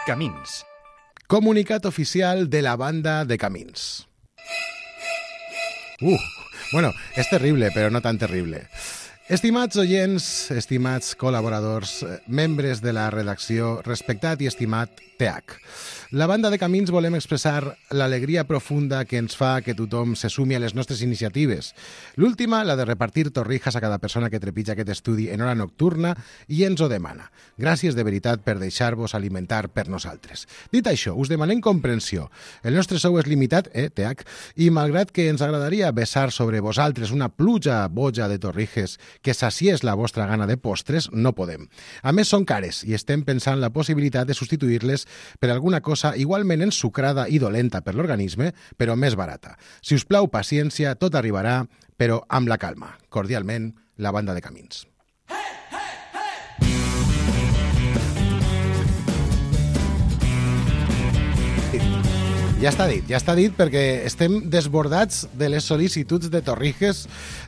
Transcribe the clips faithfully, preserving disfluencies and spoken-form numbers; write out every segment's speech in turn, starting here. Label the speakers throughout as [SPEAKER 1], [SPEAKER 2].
[SPEAKER 1] Camins.
[SPEAKER 2] Comunicat oficial de la banda de Camins. Uh, bueno, és terrible, però no tan terrible. Estimats oients, estimats col·laboradors, membres de la redacció, respectat i estimat T H. La banda de Camins volem expressar l'alegria profunda que ens fa que tothom se sumi a les nostres iniciatives. L'última, la de repartir torrijas a cada persona que trepitja aquest estudi en hora nocturna i ens ho demana. Gràcies de veritat per deixar-vos alimentar per nosaltres. Dit això, us demanem comprensió. El nostre sou és limitat, eh, T H, i malgrat que ens agradaria vessar sobre vosaltres una pluja boja de torrijes que saciés la vostra gana de postres, no podem. A més, són cares i estem pensant la possibilitat de substituir-les per alguna cosa igualment ensucrada i dolenta per l'organisme, però més barata. Si us plau, paciència, tot arribarà, però amb la calma. Cordialment, la banda de Camins. Ja està dit, ja està dit, perquè estem desbordats de les sol·licituds de torrijes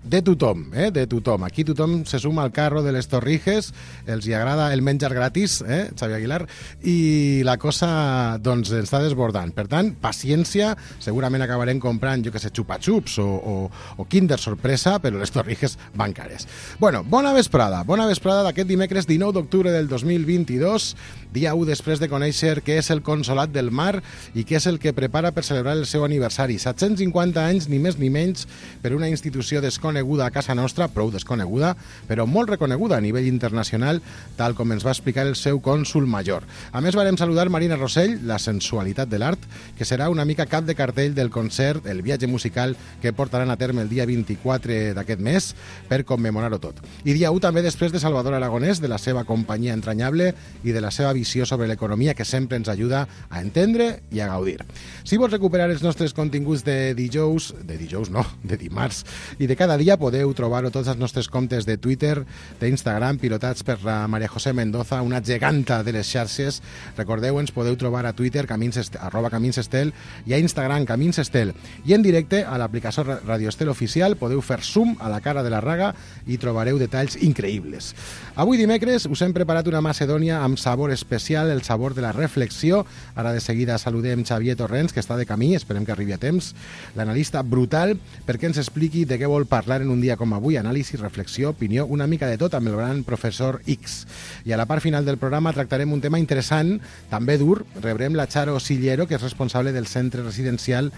[SPEAKER 2] de tothom, eh? de tothom. Aquí tothom se suma al carro de les torrijes, els hi agrada el menjar gratis, eh? Xavi Aguilar, i la cosa doncs està desbordant. Per tant, paciència, segurament acabarem comprant, jo que sé, xupa-xups o, o, o Kinder Sorpresa, però les torrijes van cares. Bueno, bona vesprada, bona vesprada d'aquest dimecres dinou d'octubre del dos mil vint-i-dos, dia u després de conèixer què és el Consolat del Mar i què és el que prepara per celebrar el seu aniversari. set-cents cinquanta anys, ni més ni menys, per una institució desconeguda a casa nostra, prou desconeguda, però molt reconeguda a nivell internacional, tal com ens va explicar el seu cònsul major. A més, varem saludar Marina Rossell, la sensualitat de l'art, que serà una mica cap de cartell del concert, el viatge musical que portaran a terme el dia vint-i-quatre d'aquest mes per commemorar-ho tot. I dia u també després de Salvador Aragonès, de la seva companyia entranyable i de la seva visió sobre l'economia que sempre ens ajuda a entendre i a gaudir. Si vols recuperar els nostres continguts de dijous, de dijous no, de dimarts, i de cada dia podeu trobar-ho tots els nostres comptes de Twitter, d'Instagram, pilotats per la Maria José Mendoza, una geganta de les xarxes. Recordeu, ens podeu trobar a Twitter, camins estel, arroba Camins Estel, i a Instagram, Camins Estel. I en directe, a l'aplicació Radio Estel Oficial, podeu fer zoom a la cara de la Raga i trobareu detalls increïbles. Avui dimecres us hem preparat una macedònia amb sabor especial, el sabor de la reflexió. Ara de seguida saludem Xavier Torrents, que està de camí, esperem que arribi a temps, l'analista brutal, perquè ens expliqui de què vol parlar en un dia com avui, anàlisi, reflexió, opinió, una mica de tot amb el gran professor X. I a la part final del programa tractarem un tema interessant, també dur, rebrem la Charo Sillero, que és responsable del centre residencial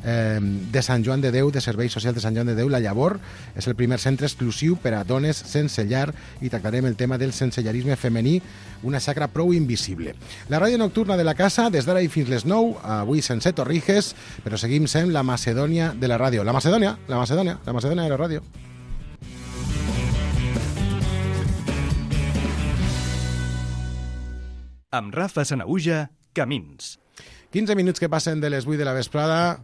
[SPEAKER 2] eh, de Sant Joan de Déu, de Serveis Socials de Sant Joan de Déu, La Llavor. És el primer centre exclusiu per a dones sense llar i tractarem el tema del sensellarisme femení, una xacra prou invisible. La ràdio nocturna de la casa, des d'ara i fins les nou, avui sense torrijes, però seguim sent la Macedònia de la ràdio. La Macedònia, la Macedònia, la Macedònia de la ràdio.
[SPEAKER 1] Amb Rafa Sanaüja, Camins.
[SPEAKER 2] quinze minuts que passen de les vuit de la vesprada.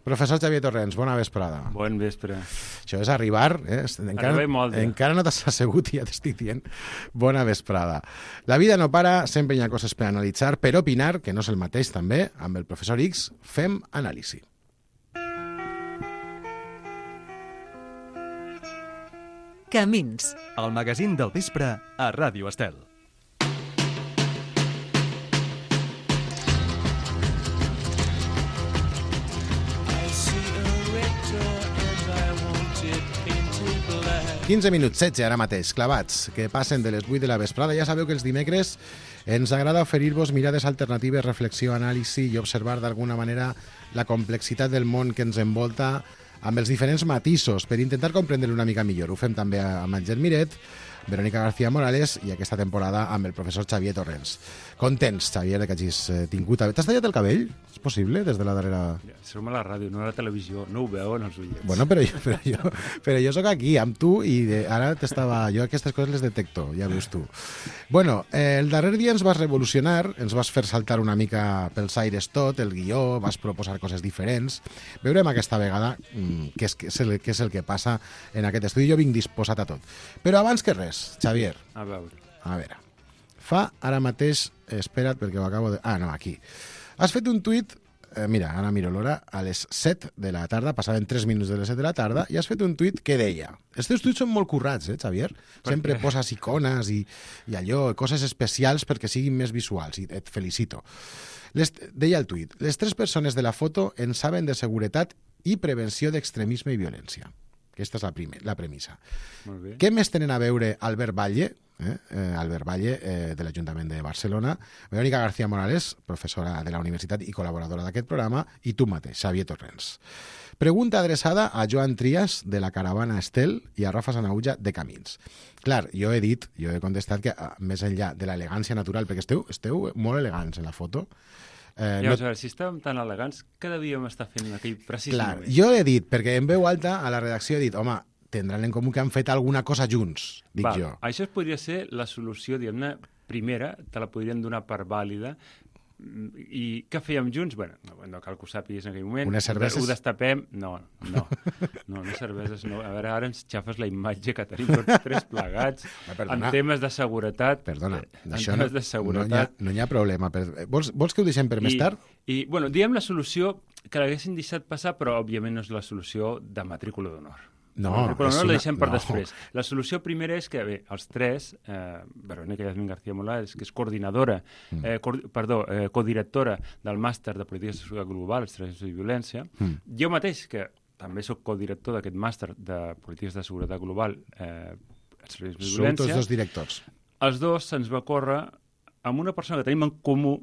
[SPEAKER 2] Professor Xavier Torrents, bona vesprada.
[SPEAKER 3] Bon vespre.
[SPEAKER 2] Això és arribar, eh? Encara,
[SPEAKER 3] Arriba molt, eh?
[SPEAKER 2] encara no t'has assegut i ja t'estic dient bona vesprada. La vida no para, sempre hi ha coses per analitzar, per opinar, que no és el mateix també, amb el professor X, fem anàlisi.
[SPEAKER 4] Camins.
[SPEAKER 1] El magazín del vespre a Ràdio Estel.
[SPEAKER 2] quinze minuts, setze ara mateix, clavats, que passen de les vuit de la vesprada. Ja sabeu que els dimecres ens agrada oferir-vos mirades alternatives, reflexió, anàlisi i observar d'alguna manera la complexitat del món que ens envolta amb els diferents matisos per intentar comprendre una mica millor. Ho fem també amb Àngel Miret, Verónica García Morales i aquesta temporada amb el professor Xavier Torrents. Contents, Xavier, que hagis tingut... T'has tallat el cabell? És possible, des de la darrera...
[SPEAKER 3] Som a la ràdio, no a la televisió. No ho veuen els ullets.
[SPEAKER 2] Bueno, però jo, però jo, però jo soc aquí, amb tu, i de, ara t'estava... Jo aquestes coses les detecto, ja veus tu. Bueno, eh, el darrer dia ens vas revolucionar, ens vas fer saltar una mica pels aires tot, el guió, vas proposar coses diferents. Veurem aquesta vegada mm, què, és, què, és el, què és el que passa en aquest estudi. Jo vinc disposat a tot. Però abans que res, Xavier.
[SPEAKER 3] A veure.
[SPEAKER 2] A veure. Fa ara mateix... Espera't, perquè ho acabo de... Ah, no, aquí. Has fet un tuit eh, mira, ara miro l'hora, a les set de la tarda, passaven tres minuts de les set de la tarda, i has fet un tuit que deia... Els teus tuits són molt currats, eh, Xavier? Sempre
[SPEAKER 3] què?
[SPEAKER 2] poses icones i, i allò, coses especials perquè siguin més visuals, i et felicito. Les, deia el tuit, les tres persones de la foto en saben de seguretat i prevenció d'extremisme i violència. Aquesta és la, primer, la premissa.
[SPEAKER 3] Molt bé.
[SPEAKER 2] Què més tenen a veure Albert Valle, eh? Eh, Albert Valle, eh, de l'Ajuntament de Barcelona, Verónica García Morales, professora de la universitat i col·laboradora d'aquest programa, i tu mateix, Xavier Torrents? Pregunta adreçada a Joan Trias, de la Caravana Estel, i a Rafa Sanauja, de Camins. Clar, jo he dit, jo he contestat que més enllà de l'elegància natural, perquè esteu, esteu molt elegants en la foto,
[SPEAKER 3] Eh, ja, no... a veure, si estàvem tan elegants, què devíem estar fent en aquell precís
[SPEAKER 2] Clar,
[SPEAKER 3] moment?
[SPEAKER 2] jo he dit, perquè en veu alta a la redacció he dit, home, tindran en comú que han fet alguna cosa junts, dic
[SPEAKER 3] Val,
[SPEAKER 2] jo.
[SPEAKER 3] Això es podria ser la solució, diguem-ne, primera, te la podrien donar per vàlida. I què fèiem junts? Bueno, no, no cal que ho sàpigues en aquell moment.
[SPEAKER 2] Unes cerveses?
[SPEAKER 3] Ho destapem? No, no. No, unes cerveses no. A veure, ara ens xafes la imatge que tenim tots tres plegats en temes de seguretat.
[SPEAKER 2] Perdona,
[SPEAKER 3] en
[SPEAKER 2] això
[SPEAKER 3] temes
[SPEAKER 2] no,
[SPEAKER 3] de seguretat.
[SPEAKER 2] no, hi ha, no hi ha problema. Vols, vols que ho deixem per més
[SPEAKER 3] I,
[SPEAKER 2] tard?
[SPEAKER 3] I, bueno, diem la solució que l'haguessin deixat passar, però òbviament no és la solució de matrícula d'honor.
[SPEAKER 2] No,
[SPEAKER 3] però no
[SPEAKER 2] una...
[SPEAKER 3] la deixem per
[SPEAKER 2] no.
[SPEAKER 3] després. La solució primera és que, bé, els tres, eh, Verónica Yasmín García Morales, que és coordinadora, mm. eh, co perdó, eh, codirectora del màster de Polítiques de Seguretat Global, Estratègies i Violència, mm. jo mateix, que també sóc codirector d'aquest màster de Polítiques de Seguretat Global, eh, Estratègies i Violència...
[SPEAKER 2] Sou tots dos directors.
[SPEAKER 3] Els dos se'ns va córrer amb una persona que tenim en comú.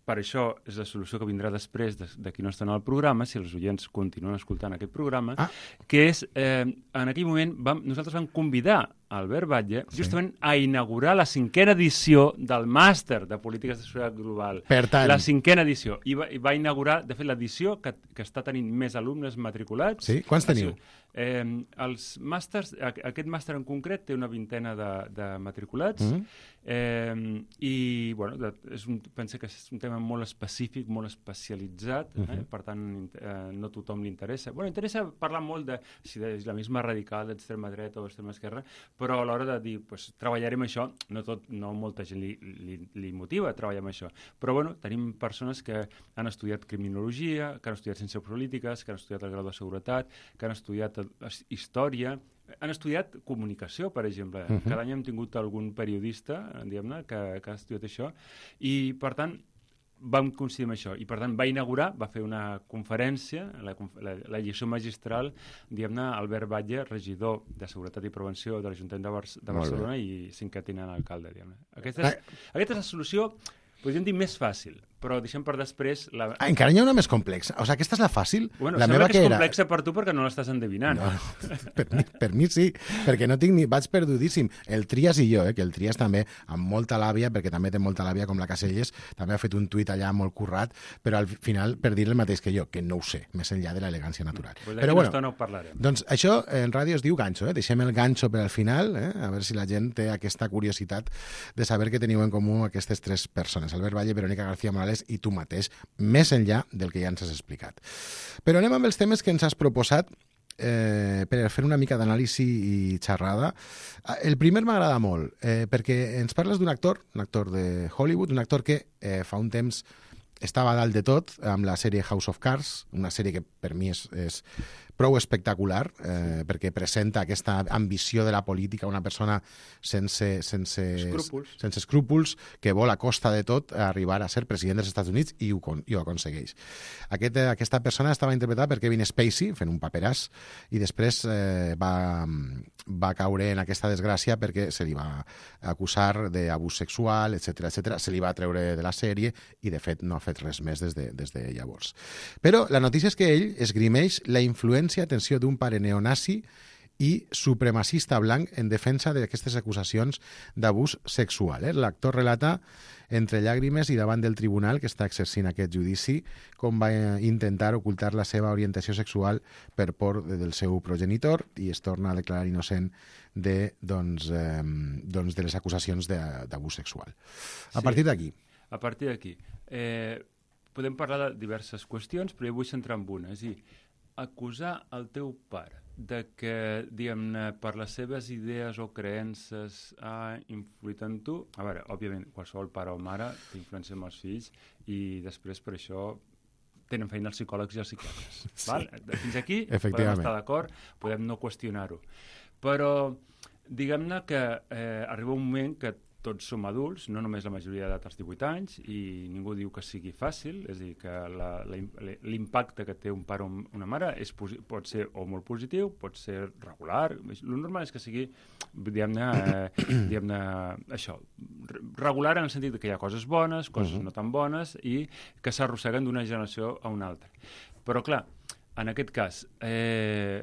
[SPEAKER 3] Per això és la solució que vindrà després de, de qui no està en el programa, si els oients continuen escoltant aquest programa, ah. que és, eh, en aquell moment, vam, nosaltres vam convidar Albert Batlle sí. justament a inaugurar la cinquena edició del màster de Polítiques de Seguretat Global.
[SPEAKER 2] Per tant...
[SPEAKER 3] La cinquena edició. I va, i va inaugurar, de fet, l'edició que, que està tenint més alumnes matriculats.
[SPEAKER 2] Sí? Quants teniu?
[SPEAKER 3] Eh, els màsters, aquest màster en concret té una vintena de, de matriculats mm -hmm. eh, i bueno, de, és un, penso que és un tema molt específic, molt especialitzat, mm -hmm. eh, per tant eh, no tothom li interessa. Bueno, interessa parlar molt de si de islamisme radical, d'extrema dreta o extrema esquerra, però a l'hora de dir, pues, treballarem això, no, tot, no molta gent li, li, li motiva a treballar amb això, però bueno, tenim persones que han estudiat criminologia, que han estudiat ciències polítiques, que han estudiat el grau de seguretat, que han estudiat història, han estudiat comunicació, per exemple. Uh -huh. Cada any hem tingut algun periodista, diguem-ne, que, que ha estudiat això, i per tant vam coincidir amb això, i per tant va inaugurar, va fer una conferència, la, la, la lliçó magistral, diguem-ne, Albert Batlle, regidor de Seguretat i Prevenció de l'Ajuntament de, Bar de Barcelona i cinquè tinent alcalde, diguem-ne. Aquesta, és, aquesta és la solució, podríem dir, més fàcil, però deixem per després... La...
[SPEAKER 2] Ah, encara n'hi ha una més complexa. O sigui, aquesta és la fàcil?
[SPEAKER 3] Bueno,
[SPEAKER 2] la
[SPEAKER 3] sembla
[SPEAKER 2] meva
[SPEAKER 3] que és
[SPEAKER 2] era...
[SPEAKER 3] complexa per tu perquè no l'estàs endevinant.
[SPEAKER 2] No, per, mi, per mi sí, perquè no tinc ni... Vaig perdudíssim. El Trias i jo, eh, que el Trias també, amb molta làbia, perquè també té molta làbia com la Caselles, també ha fet un tuit allà molt currat, però al final, per dir el mateix que jo, que no ho sé, més enllà de l'elegància natural.
[SPEAKER 3] Pues
[SPEAKER 2] però bueno,
[SPEAKER 3] no parlarem.
[SPEAKER 2] Doncs això en ràdio es diu ganxo, eh? Deixem el ganxo per al final, eh? A veure si la gent té aquesta curiositat de saber que teniu en comú aquestes tres persones, Albert Batlle, Verónica García Morales i tu mateix, més enllà del que ja ens has explicat. Però anem amb els temes que ens has proposat eh, per fer una mica d'anàlisi i xerrada. El primer m'agrada molt, eh, perquè ens parles d'un actor, un actor de Hollywood, un actor que eh, fa un temps estava a dalt de tot amb la sèrie House of Cards, una sèrie que per mi és, és prou espectacular, eh, perquè presenta aquesta ambició de la política, una persona sense, sense,
[SPEAKER 3] escrúpols.
[SPEAKER 2] sense escrúpols, que vol a costa de tot arribar a ser president dels Estats Units i ho, i ho aconsegueix. Aquest, aquesta persona estava interpretada per Kevin Spacey, fent un paperàs, i després eh, va, va caure en aquesta desgràcia perquè se li va acusar d'abús sexual, etcètera, etcètera. Se li va treure de la sèrie i, de fet, no ha fet res més des de, des de llavors. Però la notícia és que ell esgrimeix la influència, atenció, d'un pare neonazi i supremacista blanc en defensa d'aquestes acusacions d'abús sexual. Eh? L'actor relata entre llàgrimes i davant del tribunal que està exercint aquest judici com va intentar ocultar la seva orientació sexual per por del seu progenitor i es torna a declarar innocent de, doncs, eh, doncs de les acusacions d'abús sexual. A
[SPEAKER 3] sí,
[SPEAKER 2] partir d'aquí.
[SPEAKER 3] A partir d'aquí. Eh, podem parlar de diverses qüestions, però jo vull centrar en una. És a dir, acusar el teu pare de que, diguem-ne, per les seves idees o creences ha influït en tu. A veure, òbviament, qualsevol pare o mare té influència amb els fills i després per això tenen feina els psicòlegs i els psiquiatres. Sí. Val? Fins aquí podem estar d'acord, podem no qüestionar-ho. Però diguem-ne que eh, arriba un moment que tots som adults, no només la majoria d'edat als divuit anys, i ningú diu que sigui fàcil, és a dir, que la, la, l'impacte que té un pare o una mare és, pot ser o molt positiu, pot ser regular. El normal és que sigui, diguem-ne, eh, diguem-ne això, regular en el sentit que hi ha coses bones, coses uh-huh. no tan bones, i que s'arrosseguen d'una generació a una altra. Però, clar, en aquest cas, eh,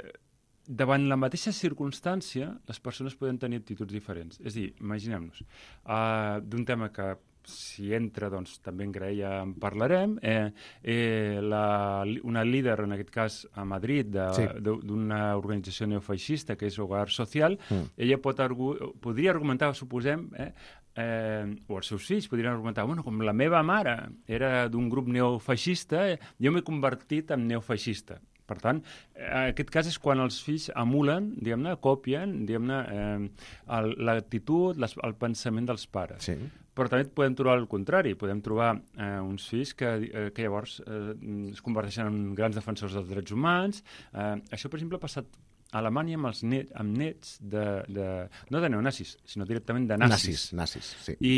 [SPEAKER 3] davant la mateixa circumstància, les persones poden tenir actituds diferents. És a dir, imaginem-nos, uh, d'un tema que si entra, doncs, també en Graella en parlarem, eh, eh, la, una líder, en aquest cas, a Madrid, de, sí. de, d'una organització neofeixista, que és Hogar Social, mm. ella pot argu podria argumentar, suposem, eh, eh, o els seus fills podrien argumentar, bueno, com la meva mare era d'un grup neofeixista, eh, jo m'he convertit en neofeixista. Per tant, aquest cas és quan els fills emulen, diguem-ne, copien, diguem-ne, eh, l'actitud, el pensament dels pares. Sí. Però també podem trobar el contrari, podem trobar eh, uns fills que, eh, que llavors eh, es converteixen en grans defensors dels drets humans. Eh, això, per exemple, ha passat a Alemanya amb els net, amb nets de, de, no de neonazis, sinó directament de nazis.
[SPEAKER 2] Nazis, nazis, sí.
[SPEAKER 3] I,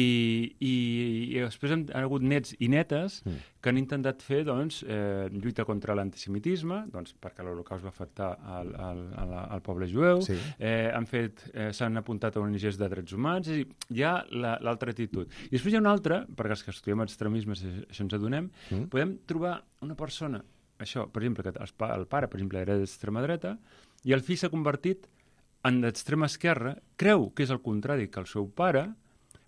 [SPEAKER 3] i, i després han, han hagut nets i netes mm. que han intentat fer, doncs, eh, lluita contra l'antisemitisme, doncs, perquè l'Holocaust va afectar al, al, al, al poble jueu, sí. eh, han fet, eh, s'han apuntat a O N Ges de drets humans, és a dir, hi ha l'altra la, actitud. I després hi ha una altra, perquè els que estudiem extremismes això ens adonem, mm. podem trobar una persona, això, per exemple, que el, el pare, per exemple, era d'extrema dreta, i el fill s'ha convertit en l'extrema esquerra, creu que és el contrari que el seu pare,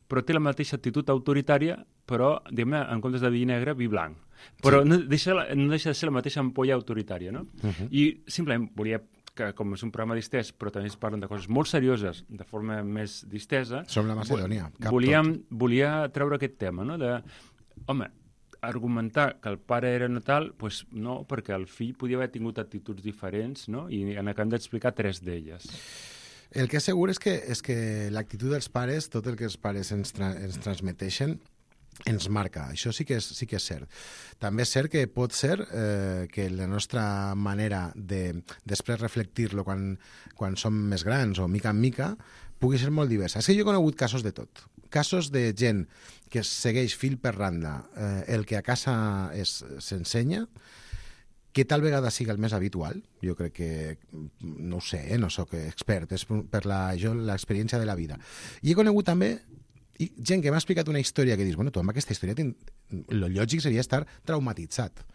[SPEAKER 3] però té la mateixa actitud autoritària, però, diguem-ne, en comptes de vi negre, vi blanc. Però sí. no, deixa, no deixa de ser la mateixa ampolla autoritària, no? Uh-huh. I simplement volia que, com és un programa distès, però també es parlen de coses molt serioses, de forma més distesa...
[SPEAKER 2] Som la Macedònia, cap
[SPEAKER 3] volíem,
[SPEAKER 2] tot.
[SPEAKER 3] Volia treure aquest tema, no? De, home, argumentar que el pare era no tal, doncs no, perquè el fill podia haver tingut actituds diferents, no? I en acabem d'explicar tres d'elles.
[SPEAKER 2] El que és segur és que, és que l'actitud dels pares, tot el que els pares ens, tra ens transmeteixen, ens marca. Això sí que és, sí que és cert. També és cert que pot ser eh, que la nostra manera de després reflectir-lo quan, quan som més grans o mica en mica pugui ser molt diversa. És que jo he conegut casos de tot. Casos de gent que segueix fil per randa eh, el que a casa s'ensenya, que tal vegada sigui el més habitual. Jo crec que, no ho sé, eh, no sóc expert, és per l'experiència de la vida. I he conegut també i gent que m'ha explicat una història que dius, bueno, tu amb aquesta història, el lògic seria estar traumatitzat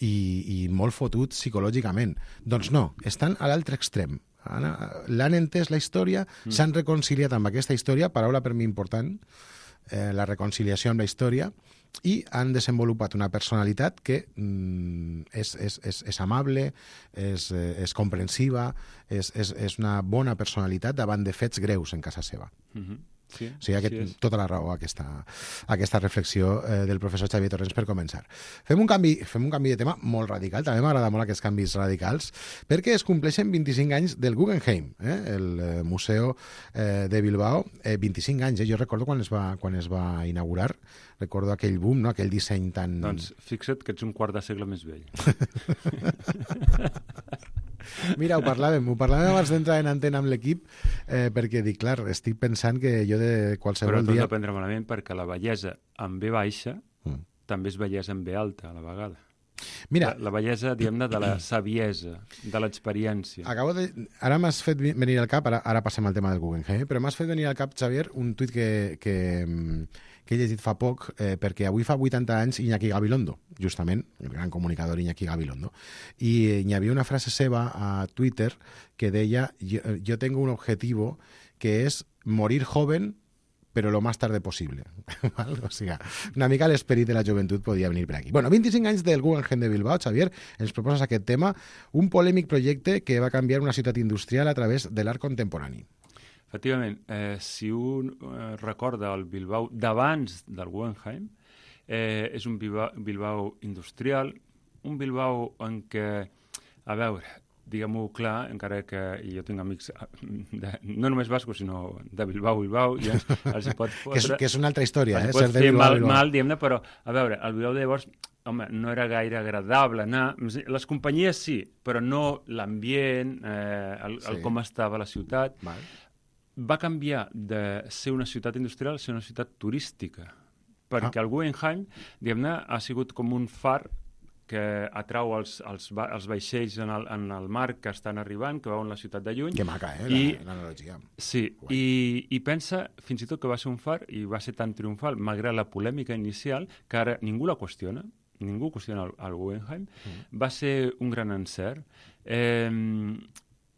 [SPEAKER 2] i, i molt fotut psicològicament. Doncs no, estan a l'altre extrem. L'han entès la història, mm. s'han reconciliat amb aquesta història, paraula per mi important, eh, la reconciliació amb la història, i han desenvolupat una personalitat que mm, és, és, és, és amable, és, és comprensiva, és, és, és una bona personalitat davant de fets greus en casa seva.
[SPEAKER 3] Mm-hmm. Sí,
[SPEAKER 2] o sigui, aquest, sí tota la raó aquesta, aquesta reflexió eh, del professor Xavier Torrents per començar. Fem un canvi, fem un canvi de tema molt radical, també m'agrada molt aquests canvis radicals, perquè es compleixen vint-i-cinc anys del Guggenheim, eh, el eh, Museu eh, de Bilbao, eh, vint-i-cinc anys, eh, jo recordo quan es va, quan es va inaugurar, recordo aquell boom, no? Aquell disseny tan...
[SPEAKER 3] Doncs fixa't que ets un quart de segle més vell.
[SPEAKER 2] Mira, ho parlàvem, ho parlàvem abans d'entrar en antena amb l'equip, eh, perquè dic, clar, estic pensant que jo de qualsevol
[SPEAKER 3] dia... Però
[SPEAKER 2] dia...
[SPEAKER 3] tot dependre malament, perquè la bellesa amb B baixa mm. també és bellesa amb B alta, a la vegada.
[SPEAKER 2] Mira,
[SPEAKER 3] la, la bellesa, diguem-ne, de la saviesa, de l'experiència.
[SPEAKER 2] Acabo de... Ara m'has fet venir al cap, ara, ara passem al tema del Guggenheim, però m'has fet venir al cap, Xavier, un tuit que, que, que he llegit fa poc, eh, perquè avui fa vuitanta anys Iñaki Gabilondo, justament, el gran comunicador Iñaki Gabilondo, i hi havia una frase seva a Twitter que deia, yo, yo tengo un objetivo que es morir joven però lo más tarde possible. O sigui, una mica l'esperit de la joventut podia venir per aquí. Bueno, vint-i-cinc anys del Guggenheim de Bilbao, Xavier, ens proposes aquest tema, un polèmic projecte que va canviar una ciutat industrial a través de l'art contemporani.
[SPEAKER 3] Efectivament, eh, si un eh, recorda el Bilbao d'abans del Guggenheim, eh, és un Bilbao, Bilbao industrial, un Bilbao en què, a veure, diguem-ho clar, encara que jo tinc amics de, no només bascos, sinó de Bilbao, Bilbao, i els, els hi pot fotre...
[SPEAKER 2] que, és, que és una altra història, eh?
[SPEAKER 3] Els pot fer mal, mal diguem-ne, però, a veure, el Bilbao de llavors home, no era gaire agradable anar. Les companyies sí, però no l'ambient, eh, el, el
[SPEAKER 2] Sí.
[SPEAKER 3] com estava la ciutat.
[SPEAKER 2] Val.
[SPEAKER 3] Va canviar de ser una ciutat industrial a ser una ciutat turística, perquè
[SPEAKER 2] Ah.
[SPEAKER 3] el Guggenheim, diguem-ne, ha sigut com un far que atrau els, els, va- els vaixells en el, en el mar que estan arribant, que veuen la ciutat de lluny.
[SPEAKER 2] Que maca, eh,
[SPEAKER 3] I-
[SPEAKER 2] la- l'analogia.
[SPEAKER 3] Sí,
[SPEAKER 2] Guai.
[SPEAKER 3] i, i pensa fins i tot que va ser un far i va ser tan triomfal, malgrat la polèmica inicial, que ara ningú la qüestiona, ningú qüestiona el, el Guggenheim, mm. va ser un gran encert. Eh,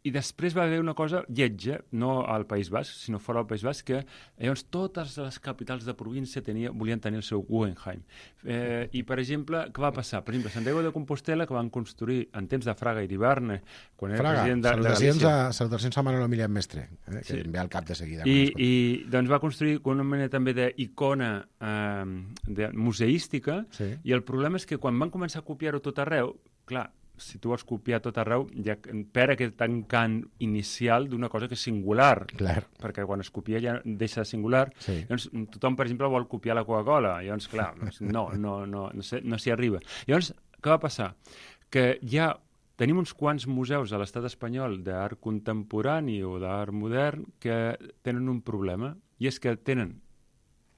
[SPEAKER 3] I després va haver una cosa lletja, no al País Basc, sinó fora del País Basc, que llavors totes les capitals de província tenia, volien tenir el seu Guggenheim. Eh, I, per exemple, què va passar? Per exemple, Santiago de Compostela, que van construir en temps de Fraga i d'Hiverne, quan era
[SPEAKER 2] Fraga,
[SPEAKER 3] president de, de
[SPEAKER 2] salutacions,
[SPEAKER 3] Galícia.
[SPEAKER 2] a, salutacions a Manolo Emilian Mestre, eh, que
[SPEAKER 3] Sí.
[SPEAKER 2] em ve al cap de seguida.
[SPEAKER 3] I,
[SPEAKER 2] quan
[SPEAKER 3] i
[SPEAKER 2] escolto.
[SPEAKER 3] doncs va construir una mena també d'icona eh, de, museística,
[SPEAKER 2] Sí.
[SPEAKER 3] i el problema és que quan van començar a copiar-ho tot arreu, clar, si tu vols copiar tot arreu, ja perd aquest encant inicial d'una cosa que és singular,
[SPEAKER 2] Clar.
[SPEAKER 3] perquè quan es copia ja deixa de singular.
[SPEAKER 2] Sí.
[SPEAKER 3] Llavors, tothom, per exemple, vol copiar la Coca-Cola. Llavors, clar, doncs no, no, no, no, sé, no s'hi arriba. Llavors, què va passar? Que ja tenim uns quants museus a l'estat espanyol d'art contemporani o d'art modern que tenen un problema, i és que tenen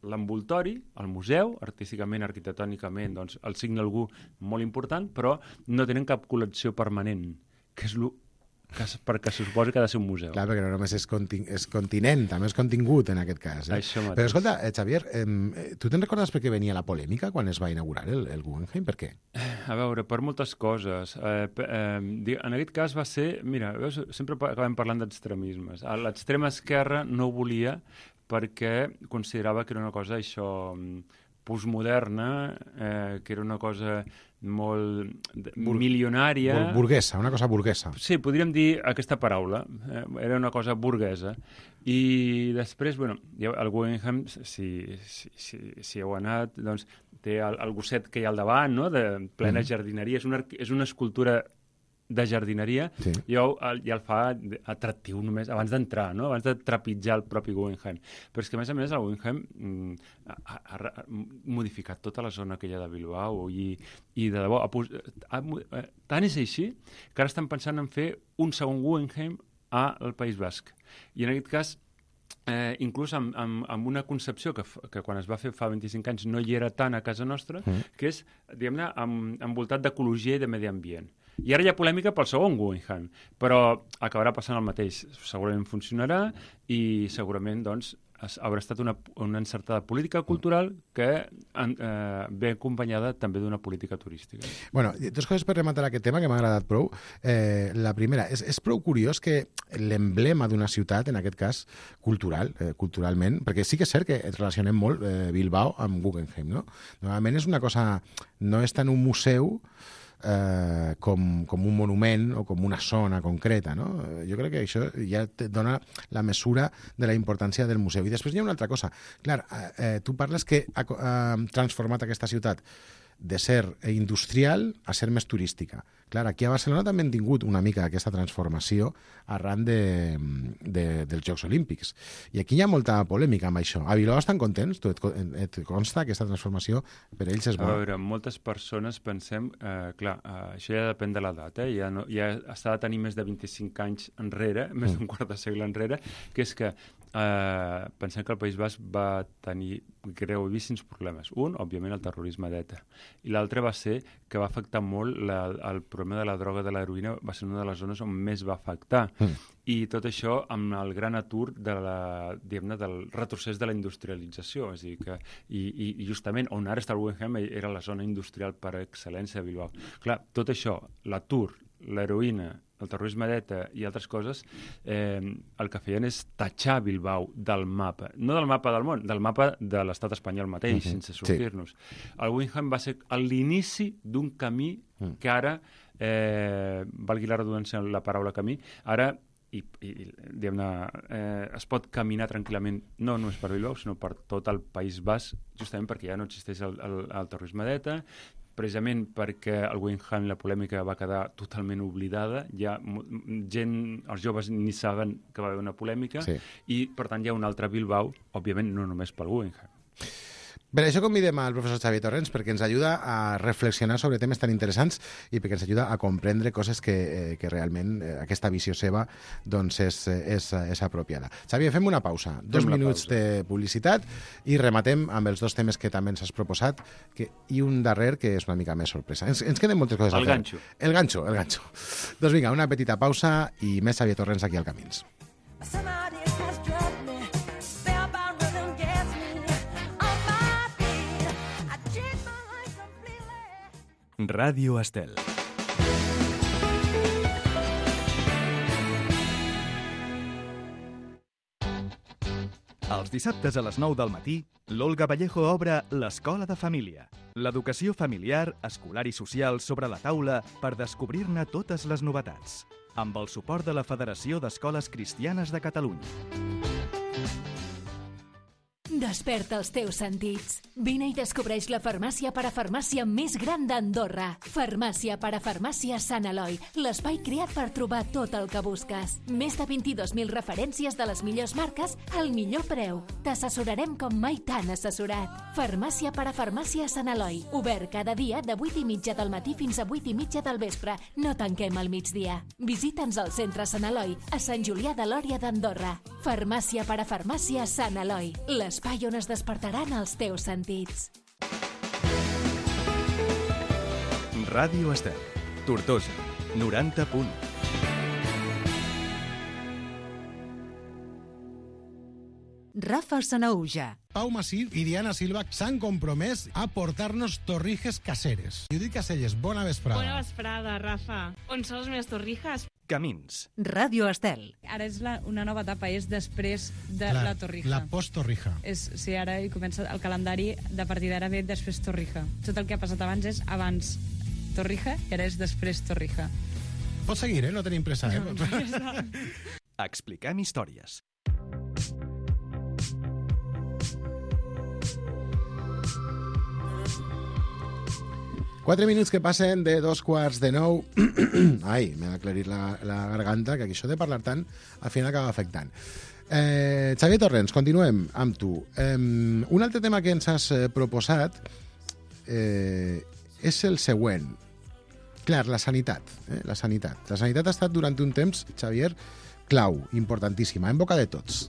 [SPEAKER 3] l'envoltori, el museu, artísticament, arquitectònicament, doncs el signe algú molt important, però no tenen cap col·lecció permanent, que és el que, es- perquè se suposa que ha de ser un museu.
[SPEAKER 2] Clar, perquè no només és, contin és continent, també és contingut en aquest cas. Eh?
[SPEAKER 3] Això mateix.
[SPEAKER 2] Però escolta, eh, Xavier, eh, tu te'n recordes per què venia la polèmica quan es va inaugurar el, el Guggenheim? Per què?
[SPEAKER 3] A veure, per moltes coses. Eh, pe- eh, di- en aquest cas va ser... Mira, veus, sempre pa- acabem parlant d'extremismes. A L'extrema esquerra no volia perquè considerava que era una cosa, això, mm, postmoderna, eh, que era una cosa molt de-
[SPEAKER 2] Bur-
[SPEAKER 3] milionària.
[SPEAKER 2] Bur burguesa, una cosa burguesa.
[SPEAKER 3] Sí, podríem dir aquesta paraula. Eh, era una cosa burguesa. I després, bueno, ja el Guggenheim, si, si, si, si heu anat, doncs té el, el gosset que hi ha al davant, no?, de plena
[SPEAKER 2] Mhm.
[SPEAKER 3] jardineria. És una, arqui- és una escultura de jardineria,
[SPEAKER 2] Sí.
[SPEAKER 3] ja, ho, el, ja el fa atractiu només abans d'entrar, no? Abans de trepitjar el propi Guggenheim. Però és que, a més a més, el Guggenheim mm, ha, ha, ha modificat tota la zona aquella de Bilbao i, i de debò, ha, pos- ha, mo- eh, tant és així que ara estan pensant en fer un segon Guggenheim al País Basc. I en aquest cas, eh, inclús amb, amb, amb una concepció que, f- que quan es va fer fa vint-i-cinc anys no hi era tant a casa nostra,
[SPEAKER 2] Mm.
[SPEAKER 3] que és, diguem-ne, amb, envoltat d'ecologia i de medi ambient. I ara hi ha polèmica pel segon Guggenheim, però acabarà passant el mateix. Segurament funcionarà i segurament, doncs, es- haurà estat una, una encertada política cultural que en, eh, ve acompanyada també d'una política turística.
[SPEAKER 2] Bueno, dos coses per rematar aquest tema que m'ha agradat prou. Eh, la primera, és, és prou curiós que l'emblema d'una ciutat, en aquest cas cultural, eh, culturalment, perquè sí que és cert que et relacionem molt eh, Bilbao amb Guggenheim, no? Normalment és una cosa... No és tant un museu eh, com, com un monument o com una zona concreta, no? Eh, Jo crec que això ja te dona la mesura de la importància del museu. I després hi ha una altra cosa. Clar, eh, eh, tu parles que ha, co- ha transformat aquesta ciutat de ser industrial a ser més turística. Clar, aquí a Barcelona també hem tingut una mica aquesta transformació arran de, de, dels Jocs Olímpics. I aquí hi ha molta polèmica amb això. A Bilbao estan contents? Tu et, co- et consta aquesta transformació? Per ells és
[SPEAKER 3] A
[SPEAKER 2] bona.
[SPEAKER 3] veure, moltes persones pensem... Eh, clar, eh, això ja depèn de l'edat, eh? Ja, no, ja s'ha de tenir més de vint-i-cinc anys enrere, més d'un quart de segle enrere, que és que eh, pensem que el País Basc va tenir gravíssims problemes. Un, òbviament, el terrorisme d'ETA. I l'altre va ser que va afectar molt la, el problema de la droga de l'heroïna, va ser una de les zones on més va afectar.
[SPEAKER 2] Mm.
[SPEAKER 3] I tot això amb el gran atur de la, diguem-ne, del retrocés de la industrialització. És a dir, que, i, i i justament on ara està el Guggenheim era la zona industrial per excel·lència de Bilbao. Clar, tot això, l'atur, l'heroïna, el terrorisme d'ETA i altres coses, eh, el que feien és tatxar Bilbao del mapa. No del mapa del món, del mapa de l'estat espanyol mateix,
[SPEAKER 2] Mhm,
[SPEAKER 3] sense
[SPEAKER 2] sí.
[SPEAKER 3] sortir-nos. El Guggenheim va ser a l'inici d'un camí
[SPEAKER 2] Mm.
[SPEAKER 3] que ara, eh, valgui la redundància en la paraula camí, ara i, i diguem-ne, eh, es pot caminar tranquil·lament no només per Bilbao, sinó per tot el País Basc, justament perquè ja no existeix el, el, el terrorisme d'ETA, precisament perquè el Guggenheim, la polèmica va quedar totalment oblidada, ja mo- gent, els joves ni saben que va haver una polèmica,
[SPEAKER 2] Sí.
[SPEAKER 3] i per tant hi ha un altre Bilbao, òbviament no només pel Guggenheim.
[SPEAKER 2] Per això convidem al professor Xavier Torrents, perquè ens ajuda a reflexionar sobre temes tan interessants i perquè ens ajuda a comprendre coses que, eh, que realment eh, aquesta visió seva doncs és, és, és apropiada. Xavier, fem una pausa, dos minuts pausa. de publicitat i rematem amb els dos temes que també ens has proposat que, i un darrer que és una mica més sorpresa. Ens, ens queden moltes coses
[SPEAKER 3] el
[SPEAKER 2] a fer.
[SPEAKER 3] Ganxo.
[SPEAKER 2] El ganxo. El ganxo. Doncs vinga, una petita pausa i més Xavier Torrents aquí al Camins.
[SPEAKER 1] Ràdio Estel. Els dissabtes a les nou del matí, l'Olga Vallejo obre l'Escola de Família. L'educació familiar, escolar i social sobre la taula per descobrir-ne totes les novetats. Amb el suport de la Federació d'Escoles Cristianes de Catalunya.
[SPEAKER 5] Desperta els teus sentits. Vine i descobreix la farmàcia parafarmàcia més gran d'Andorra. Farmàcia parafarmàcia Sant Eloi, l'espai creat per trobar tot el que busques. Més de vint-i-dos mil referències de les millors marques al millor preu. T'assessorarem com mai t'han assessorat. Farmàcia parafarmàcia Sant Eloi, obert cada dia de vuit i mitja del matí fins a vuit i mitja del vespre. No tanquem al migdia. Visita'ns al centre Sant Eloi, a Sant Julià de Lòria d'Andorra. Farmàcia parafarmàcia Sant Eloi, l'espai on es despertaran els teus sentits.
[SPEAKER 1] Ràdio Estel, Tortosa, noranta punt.
[SPEAKER 4] Rafa Sanaúja.
[SPEAKER 2] Pau Masip i Diana Silva s'han compromès a portar-nos torrijes caseres. Judit Caselles, bona vesprada.
[SPEAKER 6] Bona vesprada, Rafa. On són les meves torrijas?
[SPEAKER 1] Camins.
[SPEAKER 4] Ràdio Estel.
[SPEAKER 6] Ara és la, una nova etapa, és després de
[SPEAKER 2] Clar,
[SPEAKER 6] la torrija.
[SPEAKER 2] La post-torrija.
[SPEAKER 6] És, sí, ara hi comença el calendari, de partir d'ara ve després torrija. Tot el que ha passat abans és abans torrija i ara és després torrija.
[SPEAKER 2] Pots seguir, eh? No tenim pressa, eh?
[SPEAKER 6] No,
[SPEAKER 1] Expliquem històries.
[SPEAKER 2] Quatre minuts que passen de dos quarts de nou. Ai, m'he aclarit la, la garganta, que això de parlar tant al final acaba afectant. Eh, Xavier Torrents, continuem amb tu. Eh, un altre tema que ens has eh, proposat eh, és el següent. Clar, la sanitat, eh? la sanitat. La sanitat ha estat durant un temps, Xavier, clau, importantíssima, en boca de tots.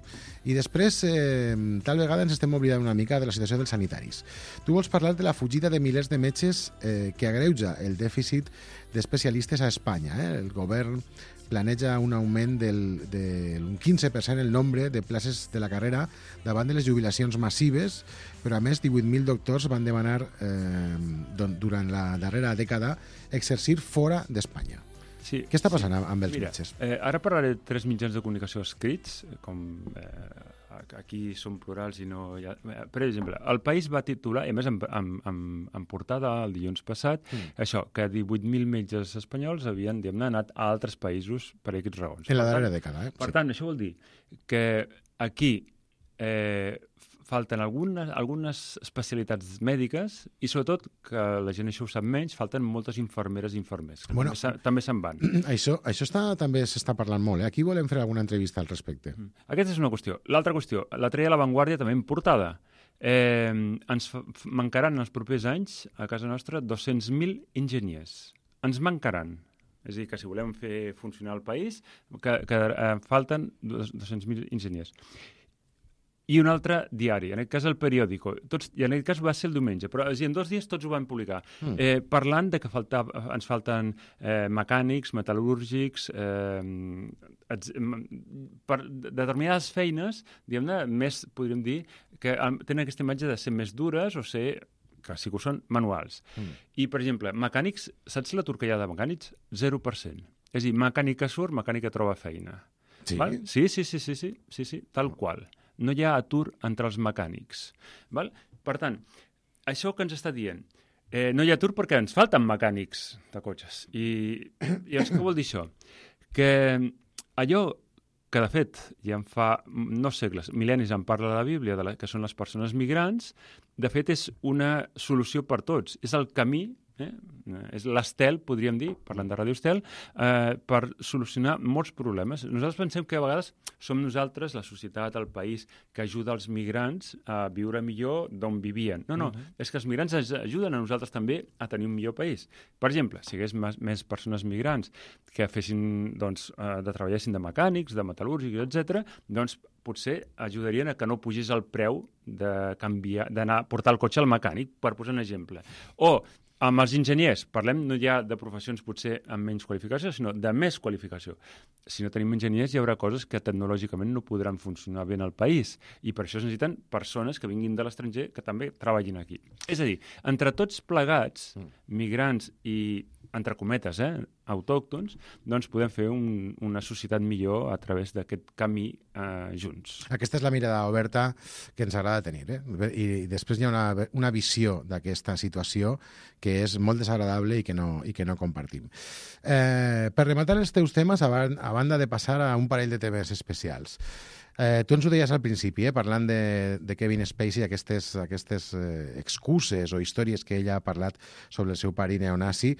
[SPEAKER 2] I després, eh, tal vegada ens estem oblidant una mica de la situació dels sanitaris. Tu vols parlar de la fugida de milers de metges eh, que agreuja el dèficit d'especialistes a Espanya. Eh? El govern planeja un augment del, del quinze per cent el nombre de places de la carrera davant de les jubilacions massives, però a més divuit mil doctors van demanar eh, durant la darrera dècada exercir fora d'Espanya.
[SPEAKER 3] Sí,
[SPEAKER 2] Què està passant sí. amb els
[SPEAKER 3] Mira,
[SPEAKER 2] metges?
[SPEAKER 3] Eh, ara parlaré de tres mitjans de comunicació escrits, com eh, aquí són plurals i no... Hi ha... Per exemple, El País va titular, i a més en, en, en, en portada el dilluns passat, mm. això, que divuit mil metges espanyols havien anat a altres països per aquests raons.
[SPEAKER 2] En la
[SPEAKER 3] per
[SPEAKER 2] darrera
[SPEAKER 3] tant,
[SPEAKER 2] dècada, eh?
[SPEAKER 3] Per
[SPEAKER 2] sí.
[SPEAKER 3] tant, això vol dir que aquí eh, falten algunes, algunes especialitats mèdiques i, sobretot, que la gent això ho sap menys, falten moltes infermeres i infermers, que bueno, també, també se'n van.
[SPEAKER 2] Això, això està, també s'està parlant molt, eh? Aquí volem fer alguna entrevista al respecte.
[SPEAKER 3] Aquesta és una qüestió. L'altra qüestió, la treia a La Vanguardia també en portada. Eh, ens mancaran en els propers anys, a casa nostra, dos-cents mil enginyers. Ens mancaran. És a dir, que si volem fer funcionar el país, que, que eh, falten dos-cents mil enginyers. I un altre diari, en aquest cas el periòdico. Tots, i en aquest cas va ser el diumenge, però en dos dies tots ho van publicar, mm. eh, parlant de que falta, ens falten eh, mecànics, metal·lúrgics, eh, ets, per determinades feines, diguem-ne, més podríem dir, que tenen aquesta imatge de ser més dures o ser, que sí que ho són, manuals. Mm. I, per exemple, mecànics, saps l'atur que hi ha de mecànics? zero per cent. És a dir, mecànica surt, mecànica troba feina.
[SPEAKER 2] Sí?
[SPEAKER 3] Val? Sí, sí, sí, sí, sí, sí, sí, tal qual. No hi ha atur entre els mecànics. Val? Per tant, això que ens està dient, eh, no hi ha atur perquè ens falten mecànics de cotxes. I, i llavors què vol dir això? Que allò que, de fet, ja en fa no segles, mil·lennis en parla de la Bíblia, de la, que són les persones migrants, de fet és una solució per tots. És el camí, eh? és l'estel, podríem dir, parlant de Ràdio Estel, eh, per solucionar molts problemes. Nosaltres pensem que a vegades som nosaltres, la societat, el país, que ajuda els migrants a viure millor d'on vivien. No, no, uh-huh. és que els migrants ens ajuden a nosaltres també a tenir un millor país. Per exemple, si hi hagués més, més persones migrants que fessin, doncs, eh, de treballessin de mecànics, de metal·lúrgics, etcètera, doncs potser ajudarien a que no pugés el preu de canviar, d'anar a portar el cotxe al mecànic, per posar un exemple. O amb els enginyers, parlem no ja de professions potser amb menys qualificació, sinó de més qualificació. Si no tenim enginyers, hi haurà coses que tecnològicament no podran funcionar bé en el país, i per això es necessiten persones que vinguin de l'estranger que també treballin aquí. És a dir, entre tots plegats, migrants i, entre cometes, eh, autòctons, doncs podem fer un, una societat millor a través d'aquest camí eh, junts.
[SPEAKER 2] Aquesta és la mirada oberta que ens agrada tenir, eh? I, i després hi ha una, una visió d'aquesta situació que és molt desagradable i que no, i que no compartim. Eh, per rematar els teus temes, a, a banda de passar a un parell de temes especials, Eh, tu ens ho deies al principi, eh, parlant de, de Kevin Spacey, aquestes, aquestes eh, excuses o històries que ell ha parlat sobre el seu pare neonazi.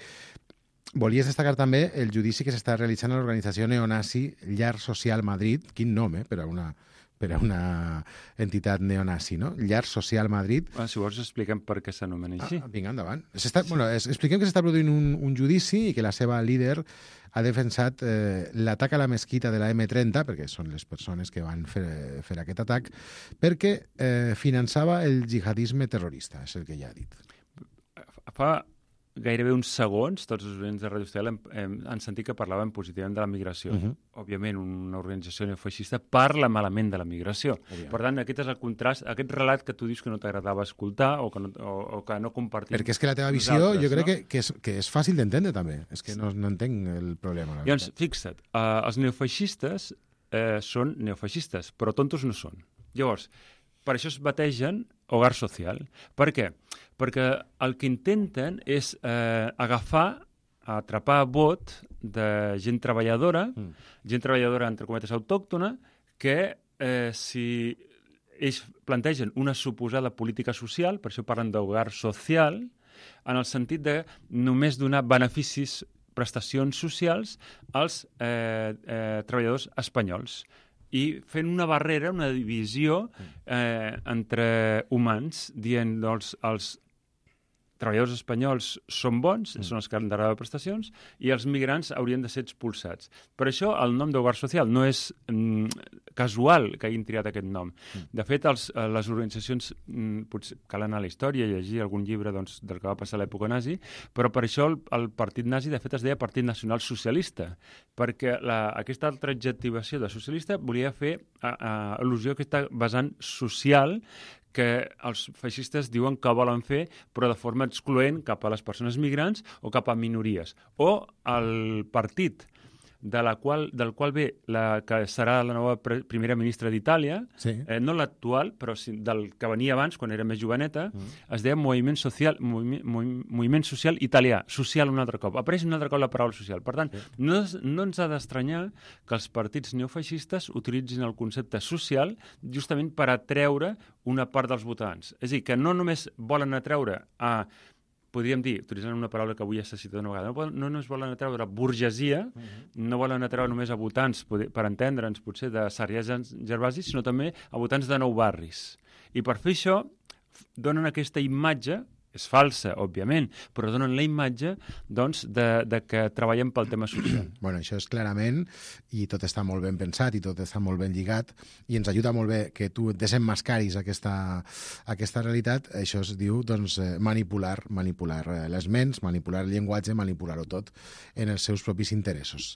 [SPEAKER 2] Volies destacar també el judici que s'està realitzant a l'organització neonazi Llar Social Madrid, quin nom, eh, per a una, per a una entitat neonazi, no? Llar Social Madrid.
[SPEAKER 3] Ah, si vols expliquem per què s'anomena així.
[SPEAKER 2] Ah, vinga, endavant. S'està, bueno, es, expliquem que s'està produint un, un judici i que la seva líder ha defensat eh, l'atac a la mesquita de la eme trenta, perquè són les persones que van fer, fer aquest atac, perquè eh, finançava el jihadisme terrorista, és el que ja ha dit.
[SPEAKER 3] Fa gairebé uns segons, tots els oients de Ràdio Estel hem, hem, han sentit que parlàvem positivament de la migració. Uh-huh. Òbviament, una organització neofeixista parla malament de la migració. Òbviament. Per tant, aquest és el contrast, aquest relat que tu dius que no t'agradava escoltar o que no, o, o que no compartim.
[SPEAKER 2] Perquè és que la teva visió jo crec no? que, que, és, que és fàcil d'entendre també. És que no, no entenc el problema.
[SPEAKER 3] Llavors, fixa't, uh, els neofeixistes uh, són neofeixistes, però tontos no són. Llavors, per això es bategen hogar social. Per què? Perquè el que intenten és eh, agafar, atrapar vot de gent treballadora, mm. gent treballadora, entre cometes, autòctona, que eh, si ells plantegen una suposada política social, per això parlen d'hogar social, en el sentit de només donar beneficis, prestacions socials als eh, eh, treballadors espanyols, i fent una barrera, una divisió eh, entre humans, dient doncs, els treballadors espanyols són bons, mm. són els que han de rebre prestacions, i els migrants haurien de ser expulsats. Per això el nom d'hogar social no és mm, casual que hagin triat aquest nom. Mm. De fet, els, les organitzacions, mm, potser cal anar a la història i llegir algun llibre doncs, del que va passar a l'època nazi, però per això el, el partit nazi, de fet, es deia Partit Nacional Socialista, perquè la, aquesta altra adjectivació de socialista volia fer a, a, al·lusió a aquesta vessant social que els feixistes diuen que volen fer, però de forma excloent cap a les persones migrants o cap a minories. O el partit de la qual, del qual ve la que serà la nova pre primera ministra d'Itàlia, sí. eh, no l'actual, però sí, del que venia abans, quan era més joveneta, mm. es deia Moviment Social, Moviment, Moviment Social Italià, social un altre cop. Apareix un altre cop la paraula social. Per tant, sí. no, no ens ha d'estranyar que els partits neofeixistes utilitzin el concepte social justament per atreure una part dels votants. És a dir, que no només volen atreure a podríem dir, utilitzant una paraula que avui ja s'ha citat una vegada, no, no només volen atreure burgesia, uh-huh. no volen atreure només a votants, per entendre'ns, potser de Sarrià Gervasi, sinó també a votants de nou barris. I per fer això, donen aquesta imatge, és falsa, òbviament, però donen la imatge doncs, de, de que treballem pel tema social.
[SPEAKER 2] Bueno, això és clarament, i tot està molt ben pensat, i tot està molt ben lligat, i ens ajuda molt bé que tu desemmascaris aquesta, aquesta realitat. Això es diu doncs, manipular, manipular les ments, manipular el llenguatge, manipular-ho tot en els seus propis interessos.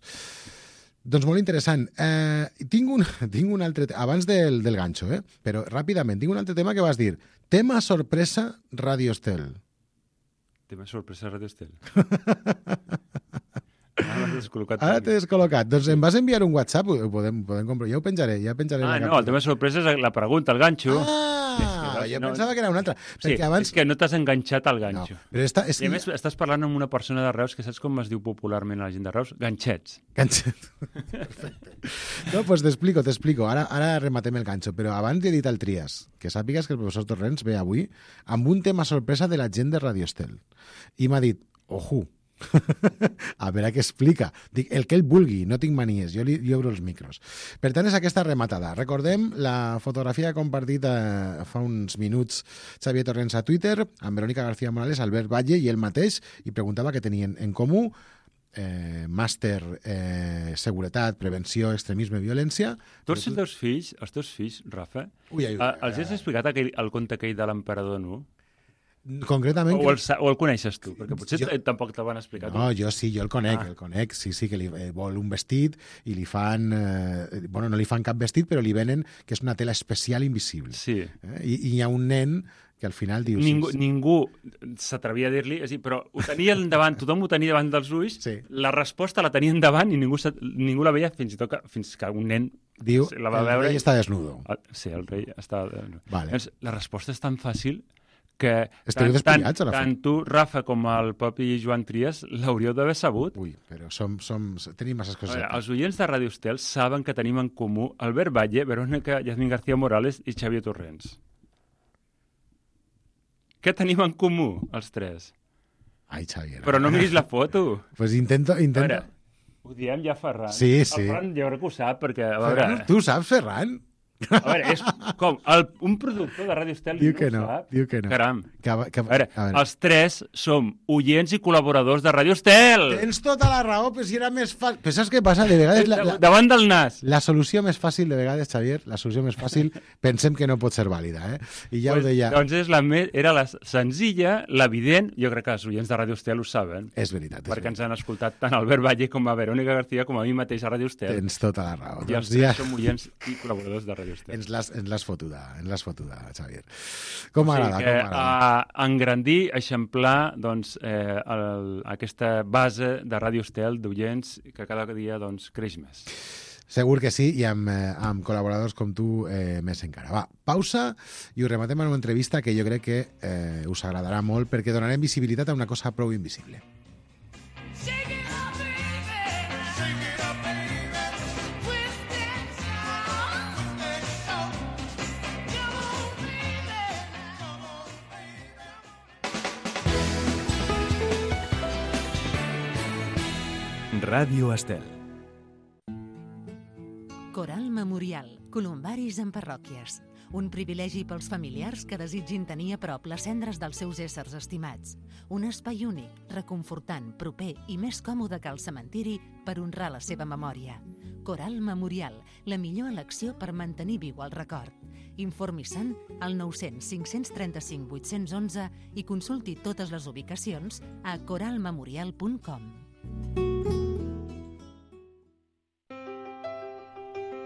[SPEAKER 2] Doncs molt interessant. Eh, tinc, un, tinc un altre... Abans del, del ganxo, eh? Però ràpidament, tinc un altre tema que vas dir. Tema sorpresa Ràdio Estel.
[SPEAKER 3] Tema sorpresa Ràdio Estel. Ara t'he descol·locat.
[SPEAKER 2] Ara t'he descol·locat. Doncs em vas enviar un WhatsApp, ho podem, podem comprar. Ja ho penjaré. Ja penjaré
[SPEAKER 3] ah,
[SPEAKER 2] la
[SPEAKER 3] no, el tema sorpresa és la pregunta, el ganxo.
[SPEAKER 2] Ah, jo no, pensava que era una altra.
[SPEAKER 3] Sí, abans... és que no t'has enganxat al ganxo.
[SPEAKER 2] No, però esta, és
[SPEAKER 3] I a més estàs parlant amb una persona de Reus que saps com es diu popularment a la gent de Reus? Ganxets.
[SPEAKER 2] Ganxet. Perfecte. No, doncs pues t'explico, t'explico. Ara, ara rematem el ganxo, però abans he dit al Trias que sàpigues que el professor Torrents ve avui amb un tema sorpresa de la gent de Ràdio Estel. I m'ha dit, Ojo. A veure què explica. Dic, el que ell vulgui, no tinc manies, jo li, li obro els micros. Per tant, és aquesta rematada. Recordem la fotografia que ha compartit eh, fa uns minuts Xavier Torrents a Twitter, amb Verónica García Morales, Albert Valle i ell mateix, i preguntava què tenien en comú. Eh, màster eh, seguretat, prevenció, extremisme, violència.
[SPEAKER 3] Tu els teus fills, els teus fills, Rafa,
[SPEAKER 2] Ui, ai,
[SPEAKER 3] eh, els has explicat aquell, el conte aquell de l'emperador nu?
[SPEAKER 2] Concretament...
[SPEAKER 3] O el, o el coneixes tu? Perquè potser jo... tampoc te'l van explicar.
[SPEAKER 2] No,
[SPEAKER 3] tu.
[SPEAKER 2] jo sí, jo el conec,
[SPEAKER 3] Ah.
[SPEAKER 2] el conec, sí, sí, que li eh, vol un vestit i li fan... Eh, bueno, no li fan cap vestit, però li venen que és una tela especial invisible.
[SPEAKER 3] Sí.
[SPEAKER 2] Eh? I, I hi ha un nen que al final diu...
[SPEAKER 3] Ningú,
[SPEAKER 2] sí, sí.
[SPEAKER 3] ningú s'atrevia a dir-li, és a dir, però ho tenia davant, tothom ho tenia davant dels ulls,
[SPEAKER 2] Sí.
[SPEAKER 3] la resposta la tenien davant i ningú, se- ningú la veia fins i tot que, fins que un nen
[SPEAKER 2] Diu,
[SPEAKER 3] la va
[SPEAKER 2] el
[SPEAKER 3] veure.
[SPEAKER 2] rei està desnudo.
[SPEAKER 3] Ah, sí, el rei està...
[SPEAKER 2] Vale.
[SPEAKER 3] Llavors, la resposta és tan fàcil que
[SPEAKER 2] Esteu
[SPEAKER 3] tant,
[SPEAKER 2] despillats, a la
[SPEAKER 3] tant tu, Rafa, com el propi Joan Trias l'hauríeu d'haver sabut.
[SPEAKER 2] Ui, però som, som, tenim masses
[SPEAKER 3] A
[SPEAKER 2] coses.
[SPEAKER 3] veure,
[SPEAKER 2] aquí.
[SPEAKER 3] els oients de Ràdio Estel saben que tenim en comú Albert Valle, Verónica Yasmín García Morales i Xavier Torrents. Què tenim en comú, els tres?
[SPEAKER 2] Ai, Xavier.
[SPEAKER 3] Però no miris la foto.
[SPEAKER 2] Pues intento...
[SPEAKER 3] A
[SPEAKER 2] intento...
[SPEAKER 3] veure, ho diem ja Ferran.
[SPEAKER 2] Sí, sí.
[SPEAKER 3] El Ferran jo crec que ho sap, perquè, a veure,
[SPEAKER 2] Ferran, tu saps, Ferran?
[SPEAKER 3] a veure és com el, un productor de Ràdio Estel
[SPEAKER 2] Diu
[SPEAKER 3] no
[SPEAKER 2] que
[SPEAKER 3] ho
[SPEAKER 2] no,
[SPEAKER 3] sap.
[SPEAKER 2] diu que no.
[SPEAKER 3] Caram.
[SPEAKER 2] Que, que,
[SPEAKER 3] A veure,
[SPEAKER 2] a veure.
[SPEAKER 3] els tres som oients i col·laboradors de Ràdio Estel.
[SPEAKER 2] Tens tota la raó, però si era més fàcil... Però saps què passa? De vegades... La, la,
[SPEAKER 3] Davant del nas.
[SPEAKER 2] la solució més fàcil, de vegades, Xavier, la solució més fàcil, pensem que no pot ser vàlida, eh? I ja
[SPEAKER 3] Pues,
[SPEAKER 2] ho deia...
[SPEAKER 3] Doncs és la me... era la senzilla, l'evident, jo crec que els oients de Ràdio Estel ho saben,
[SPEAKER 2] És veritat, és
[SPEAKER 3] perquè
[SPEAKER 2] veritat.
[SPEAKER 3] ens han escoltat tant Albert Valle com a Verónica García com a mi mateix a Ràdio Estel.
[SPEAKER 2] Tens tota la raó.
[SPEAKER 3] I els
[SPEAKER 2] Doncs
[SPEAKER 3] tres
[SPEAKER 2] ja
[SPEAKER 3] som oients i col·laboradors de Ràdio Estel.
[SPEAKER 2] ens l'has ens l'has fotuda, ens l'has fotuda, Xavier. Com
[SPEAKER 3] O sigui
[SPEAKER 2] m'agrada,
[SPEAKER 3] que,
[SPEAKER 2] com m'agrada.
[SPEAKER 3] a engrandir, eixamplar doncs, eh, el, aquesta base de Ràdio Estel d'oients que cada dia doncs, creix més.
[SPEAKER 2] Segur que sí, i amb, eh, amb col·laboradors com tu eh, més encara. Va, pausa i ho rematem en una entrevista que jo crec que eh, us agradarà molt perquè donarem visibilitat a una cosa prou invisible.
[SPEAKER 1] Ràdio Estel.
[SPEAKER 4] Coral Memorial, columbaris en parròquies. Un privilegi pels familiars que desitgin tenir a prop les cendres dels seus éssers estimats. Un espai únic, reconfortant, proper i més còmode que el cementiri per honrar la seva memòria. Coral Memorial, la millor elecció per mantenir viu el record. Informi-se'n al nou cents cinc cents trenta-cinc vuit-cents onze i consulti totes les ubicacions a coral memorial punt com.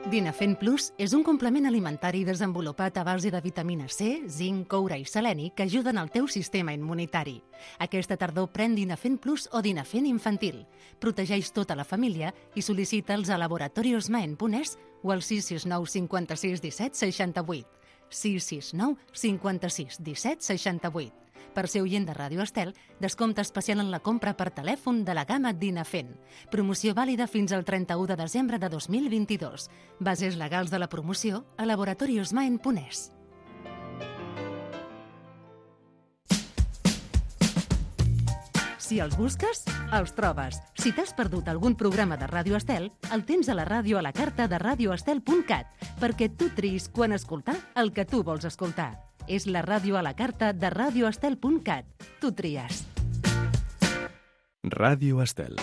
[SPEAKER 4] Dinafen Plus és un complement alimentari desenvolupat a base de vitamina C, zinc, coure i seleni que ajuden al teu sistema immunitari. Aquesta tardor pren Dinafen Plus o Dinafen Infantil. Protegeix tota la família i sol·licita'ls a laboratorios maen punt es o al sis sis nou cinquanta-sis disset seixanta-vuit. sis sis nou cinquanta-sis disset seixanta-vuit. Per ser oient de Ràdio Estel, descompte especial en la compra per telèfon de la gamma Dinafen. Promoció vàlida fins al trenta-u de desembre de dos mil vint-i-dos. Bases legals de la promoció a laboratorios maen punt es. Si els busques, els trobes. Si t'has perdut algun programa de Ràdio Estel, el tens a la ràdio a la carta de radio estel punt cat, perquè tu triïs quan escoltar el que tu vols escoltar. És la ràdio a la carta de radio estel punt cat. Tu tries.
[SPEAKER 1] Ràdio Estel.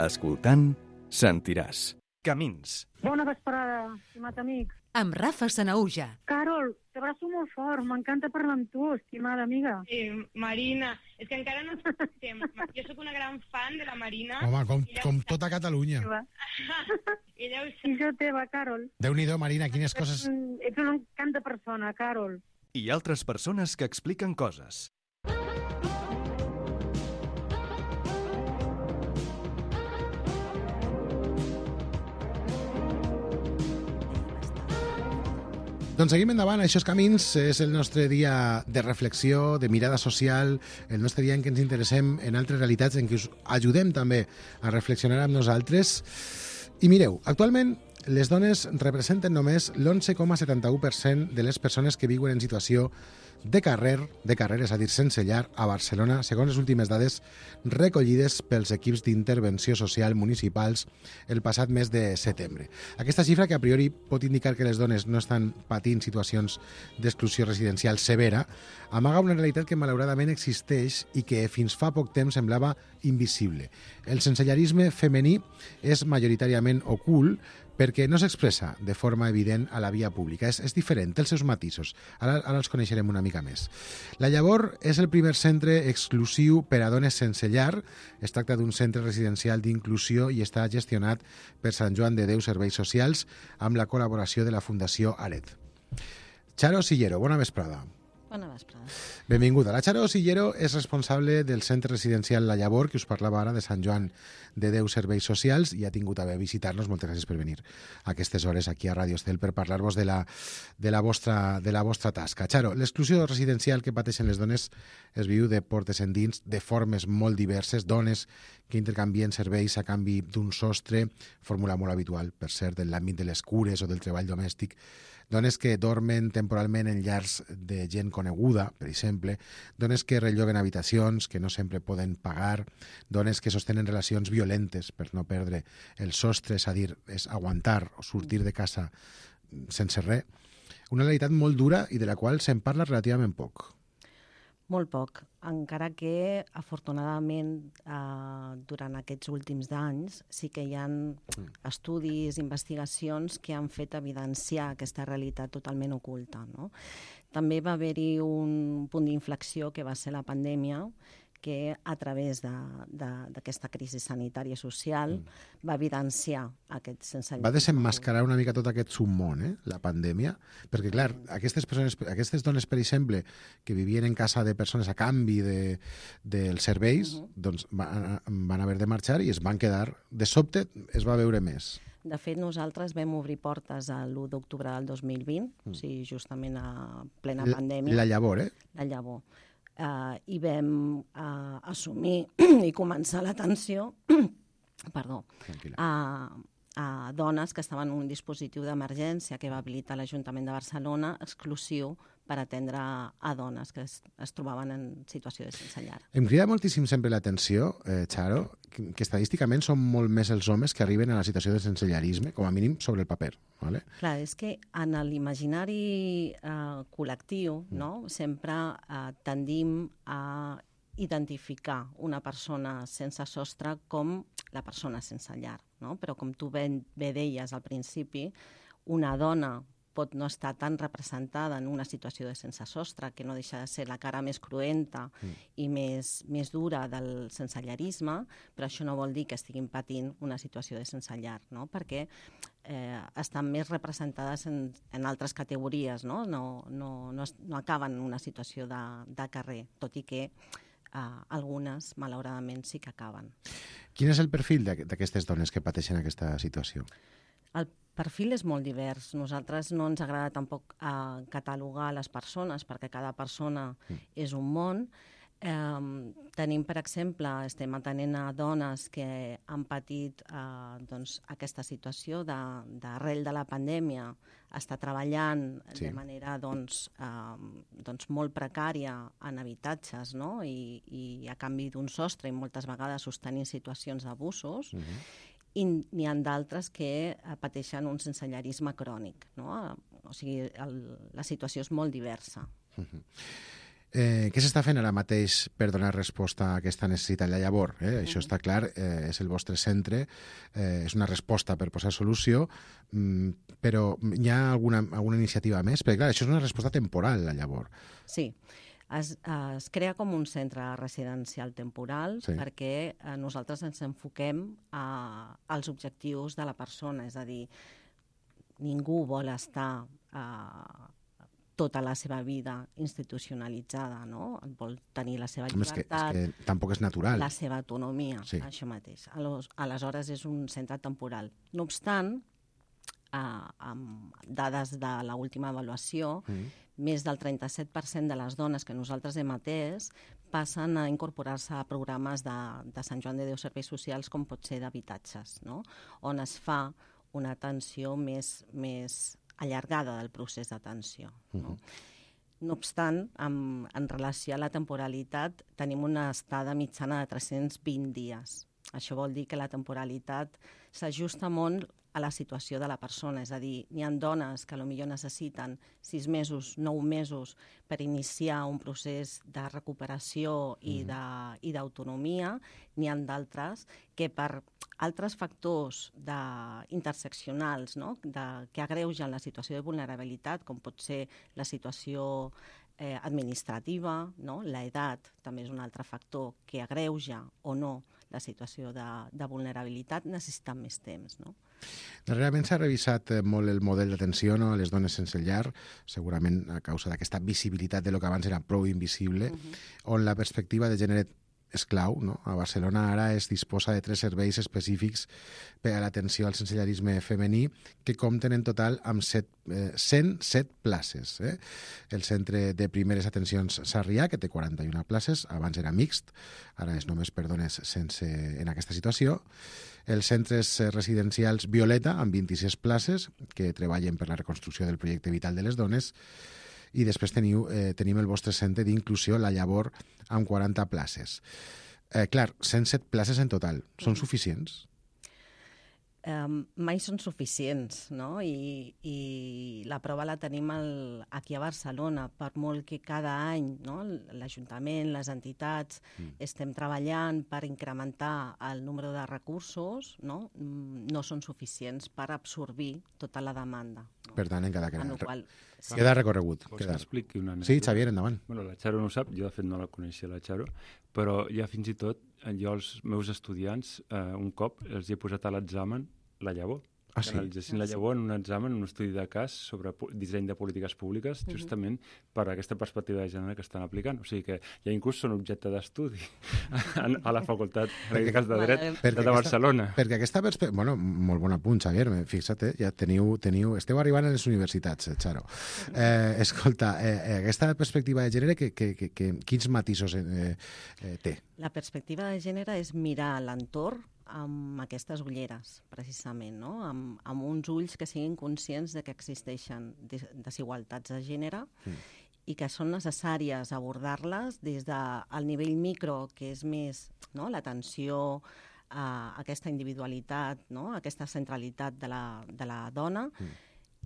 [SPEAKER 1] Escoltant, sentiràs. Camins.
[SPEAKER 7] Bona vesprada, estimat amic.
[SPEAKER 4] Amb Rafa Sanaúja.
[SPEAKER 7] Carol, t'abraço molt fort, m'encanta parlar amb tu, estimada amiga.
[SPEAKER 8] Sí, Marina, és que encara no ens coneixem. Jo sóc una gran fan de la Marina.
[SPEAKER 2] Home, com,
[SPEAKER 8] Ella
[SPEAKER 2] com
[SPEAKER 8] ho sap.
[SPEAKER 2] tota Catalunya.
[SPEAKER 8] Ella ho sap.
[SPEAKER 7] I jo teva, Carol.
[SPEAKER 2] Déu-n'hi-do, Marina, quines coses...
[SPEAKER 7] Mm, Ets un encant de persona, Carol.
[SPEAKER 1] I altres persones que expliquen coses.
[SPEAKER 2] Doncs seguim endavant, Això és Camins, és el nostre dia de reflexió, de mirada social, el nostre dia en què ens interessem en altres realitats, en què us ajudem també a reflexionar amb nosaltres. I mireu, actualment les dones representen només l'onze coma setanta-u per cent de les persones que viuen en situació de carrer, de carrer, és a dir, sense llar, a Barcelona, segons les últimes dades recollides pels equips d'intervenció social municipals el passat mes de setembre. Aquesta xifra, que a priori pot indicar que les dones no estan patint situacions d'exclusió residencial severa, amaga una realitat que malauradament existeix i que fins fa poc temps semblava invisible. El sensellarisme femení és majoritàriament ocult perquè no s'expressa de forma evident a la via pública. És, és diferent, té els seus matisos. Ara, ara els coneixerem una mica més. La Llavor és el primer centre exclusiu per a dones sense llar. Es tracta d'un centre residencial d'inclusió i està gestionat per Sant Joan de Déu Serveis Socials amb la col·laboració de la Fundació Aret. Charo Sillero, bona vesprada.
[SPEAKER 9] Bona vesprada.
[SPEAKER 2] Benvinguda. La Charo Sillero és responsable del centre residencial La Llavor, que us parlava ara, de Sant Joan de Déu Serveis Socials, i ha tingut a bé visitar-nos. Moltes gràcies per venir a aquestes hores aquí a Ràdio Estel per parlar-vos de la, de, la vostra, de la vostra tasca. Charo, l'exclusió residencial que pateixen les dones es viu de portes endins, de formes molt diverses, dones que intercanvien serveis a canvi d'un sostre, fórmula molt habitual, per cert, en l'àmbit de les cures o del treball domèstic, dones que dormen temporalment en llars de gent coneguda, per exemple, dones que relloguen habitacions que no sempre poden pagar, dones que sostenen relacions violentes per no perdre el sostre, és a dir, és aguantar o sortir de casa sense res. Una realitat molt dura i de la qual se'n parla relativament poc.
[SPEAKER 9] Molt poc, encara que, afortunadament, eh, durant aquests últims anys sí que hi ha estudis, investigacions que han fet evidenciar aquesta realitat totalment oculta, no? També va haver-hi un punt d'inflexió que va ser la pandèmia, que a través d'aquesta crisi sanitària social mm. va evidenciar aquest sensellarisme.
[SPEAKER 2] Va desenmascarar una mica tot aquest submón, eh, la pandèmia, perquè, clar, aquestes, persones, aquestes dones, per exemple, que vivien en casa de persones a canvi dels de, de serveis, uh -huh. doncs van, van haver de marxar i es van quedar, de sobte es va veure més.
[SPEAKER 9] De fet, nosaltres vam obrir portes l'u d'octubre del dos mil vint, mm. o sigui, justament a plena
[SPEAKER 2] la,
[SPEAKER 9] pandèmia.
[SPEAKER 2] La Llavor, eh?
[SPEAKER 9] La Llavor. Uh, i vam uh, assumir i començar l'atenció perdó, a, a dones que estaven en un dispositiu d'emergència que va habilitar l'Ajuntament de Barcelona exclusiu per atendre a dones que es, es trobaven en situació de sense llar.
[SPEAKER 2] Em crida moltíssim sempre l'atenció, eh, Charo, que, que estadísticament són molt més els homes que arriben a la situació de sensellarisme, com a mínim sobre el paper. ¿Vale?
[SPEAKER 9] Clar, és que en l'imaginari eh, col·lectiu mm. no? sempre eh, tendim a identificar una persona sense sostre com la persona sense llar, no? Però com tu ben, bé deies al principi, una dona pot no estar tan representada en una situació de sense sostre, que no deixa de ser la cara més cruenta mm. i més, més dura del sensellarisme, però això no vol dir que estiguin patint una situació de sense llar, no? Perquè eh, estan més representades en, en altres categories, no? No, no, no, no acaben en una situació de, de carrer, tot i que Uh, algunes, malauradament, sí que acaben.
[SPEAKER 2] Quin és el perfil d'aquestes dones que pateixen aquesta situació?
[SPEAKER 9] El perfil és molt divers. Nosaltres no ens agrada tampoc uh, catalogar les persones, perquè cada persona mm. és un món. Um, tenim, per exemple, estem atenent a dones que han patit uh, doncs, aquesta situació d'arrel de, de la pandèmia, està treballant sí. de manera doncs, uh, doncs molt precària en habitatges, no? I, i a canvi d'un sostre i moltes vegades sostenint situacions d'abusos, uh -huh. i n'hi ha d'altres que pateixen un sensellarisme crònic, no? O sigui, el, la situació és molt diversa.
[SPEAKER 2] Uh -huh. Eh, què s'està fent ara mateix per donar resposta a aquesta necessitat? La Llavor, eh? Això està clar, eh, és el vostre centre, eh, és una resposta per posar solució, mm, però hi ha alguna, alguna iniciativa més? Perquè clar, això és una resposta temporal, La Llavor.
[SPEAKER 9] Sí, es, es crea com un centre residencial temporal sí. perquè eh, nosaltres ens enfoquem a, als objectius de la persona, és a dir, ningú vol estar a tota la seva vida institucionalitzada, no? Vol tenir la seva llibertat,
[SPEAKER 2] és que, és que tampoc és natural.
[SPEAKER 9] La seva autonomia, sí. això mateix. Aleshores és un centre temporal. No obstant, eh, amb dades de l'última avaluació, mm. més del trenta-set per cent de les dones que nosaltres hem atès passen a incorporar-se a programes de, de Sant Joan de Déu Serveis Socials, com pot ser d'habitatges, no? On es fa una atenció més, més allargada del procés d'atenció. No? Uh-huh. No obstant, en, en relació a la temporalitat, tenim una estada mitjana de tres-cents vint dies. Això vol dir que la temporalitat s'ajusta molt a la situació de la persona, és a dir, n'hi ha dones que potser necessiten sis mesos, nou mesos per iniciar un procés de recuperació i de, i d'autonomia, n'hi ha d'altres que per altres factors de, interseccionals, no? de, que agreugen la situació de vulnerabilitat, com pot ser la situació eh, administrativa, no? l'edat també és un altre factor que agreuja o no la situació de, de vulnerabilitat, necessiten més temps. No?
[SPEAKER 2] Darrerament s'ha revisat molt el model d'atenció, no?, a les dones sense llar, segurament a causa d'aquesta visibilitat de lo que abans era prou invisible, uh-huh. on la perspectiva de gènere és clau. No? A Barcelona ara es disposa de tres serveis específics per a l'atenció al sensellarisme femení que compten en total amb set, eh, cent set places. Eh? El Centre de Primeres Atencions Sarrià, que té quaranta-una places, abans era mixt, ara és només per dones sense, en aquesta situació. Els centres residencials Violeta, amb vint-i-sis places, que treballen per la reconstrucció del projecte vital de les dones. I després teniu, eh, tenim el vostre centre d'inclusió, La Llavor, amb quaranta places. Eh, clar, cent set places en total. Són suficients?
[SPEAKER 9] Um, mai són suficients, no? I, i la prova la tenim el, aquí a Barcelona, per molt que cada any, no? l'Ajuntament, les entitats, mm. estem treballant per incrementar el número de recursos, no, no són suficients per absorbir tota la demanda. No?
[SPEAKER 2] Per tant, encara queda,
[SPEAKER 9] qual,
[SPEAKER 2] sí. queda recorregut.
[SPEAKER 3] Vols
[SPEAKER 2] queda.
[SPEAKER 3] que expliqui una anècdota?
[SPEAKER 2] Sí, Xavier, endavant.
[SPEAKER 3] Bueno, la Xaro no ho sap, jo de fet no la coneixia, la Xaro, però ja fins i tot jo als meus estudiants eh, un cop els he posat a l'examen la llavor.
[SPEAKER 2] Ah, sí?
[SPEAKER 3] Analitzessin la llavor en un examen, en un estudi de cas sobre disseny de polítiques públiques, uh-huh. justament per aquesta perspectiva de gènere que estan aplicant. O sigui que ja inclús són objecte d'estudi a la Facultat en aquest cas de Dret de, de Barcelona.
[SPEAKER 2] Aquesta, perquè aquesta perspectiva... Bueno, molt bon apunt, Xavier. Fixa't, eh, ja teniu, teniu... Esteu arribant a les universitats, eh, Xaro. Eh, escolta, eh, aquesta perspectiva de gènere, que, que, que, que, quins matisos eh, eh, té?
[SPEAKER 9] La perspectiva de gènere és mirar l'entorn amb aquestes ulleres, precisament, no? amb, amb uns ulls que siguin conscients de que existeixen desigualtats de gènere mm. i que són necessàries abordar-les des del nivell micro, que és més, no? l'atenció a aquesta individualitat, no? aquesta centralitat de la, de la dona, mm.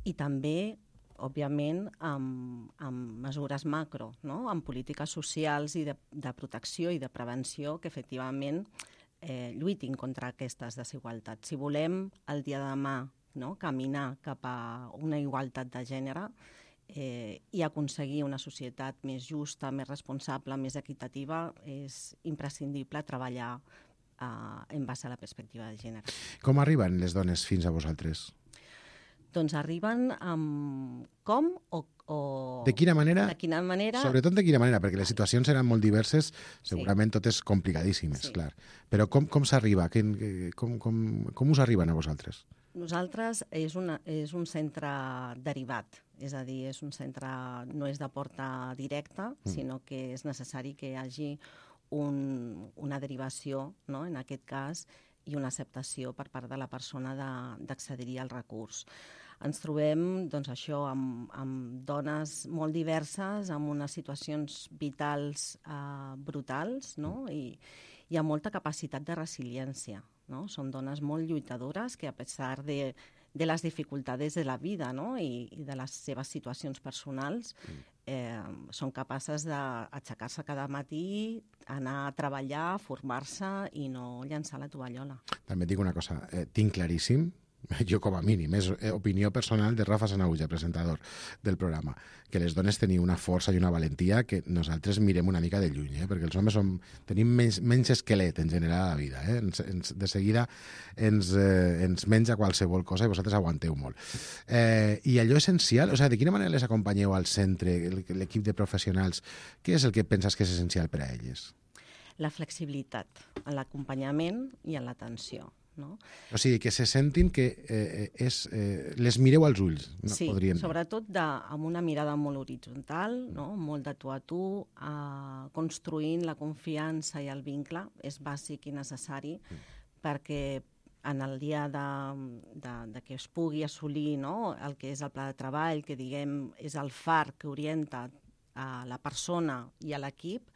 [SPEAKER 9] i també òbviament, amb, amb mesures macro, no? amb polítiques socials i de, de protecció i de prevenció que efectivament eh, lluitin contra aquestes desigualtats. Si volem el dia de demà, no? caminar cap a una igualtat de gènere eh, i aconseguir una societat més justa, més responsable, més equitativa, és imprescindible treballar eh, en base a la perspectiva de gènere.
[SPEAKER 2] Com arriben les dones fins a vosaltres?
[SPEAKER 9] Doncs arriben amb com o... o...
[SPEAKER 2] De quina manera?
[SPEAKER 9] De quina manera?
[SPEAKER 2] Sobretot de quina manera, perquè les situacions seran molt diverses, segurament sí. totes complicadíssimes, sí. clar. Però com, com s'arriba? Com, com, com us arriben a vosaltres?
[SPEAKER 9] Nosaltres és, una, és un centre derivat, és a dir, és un centre, no és de porta directa, mm. sinó que és necessari que hi hagi un, una derivació, no? en aquest cas, i una acceptació per part de la persona d'accedir al recurs. Ens trobem, doncs, això, amb, amb dones molt diverses, amb unes situacions vitals eh, brutals, no? I, i amb molta capacitat de resiliència. No? Són dones molt lluitadores que, a pesar de, de les dificultats de la vida, no? I, i de les seves situacions personals, eh, són capaces d'aixecar-se cada matí, anar a treballar, formar-se i no llançar la tovallola.
[SPEAKER 2] També et dic una cosa, eh, tinc claríssim, jo com a mínim, és opinió personal de Rafa Sanahuja, presentador del programa, que les dones teniu una força i una valentia que nosaltres mirem una mica de lluny, eh? perquè els homes som, tenim menys, menys esquelet en general a la vida. Eh? Ens, ens, de seguida ens, eh, ens menja qualsevol cosa i vosaltres aguanteu molt. Eh, I allò essencial, o sigui, de quina manera les acompanyeu al centre, l'equip de professionals? Què és el que penses que és essencial per a elles?
[SPEAKER 9] La flexibilitat en l'acompanyament i en l'atenció. No?
[SPEAKER 2] O sigui, que se sentin que eh, és, eh, les mireu als ulls. No?
[SPEAKER 9] Sí,
[SPEAKER 2] podrien...
[SPEAKER 9] sobretot de, amb una mirada molt horitzontal, no? molt de tu a tu, eh, construint la confiança i el vincle, és bàsic i necessari mm. perquè en el dia de, de, de que es pugui assolir, no?, el que és el pla de treball, que diguem és el far que orienta a la persona i a l'equip,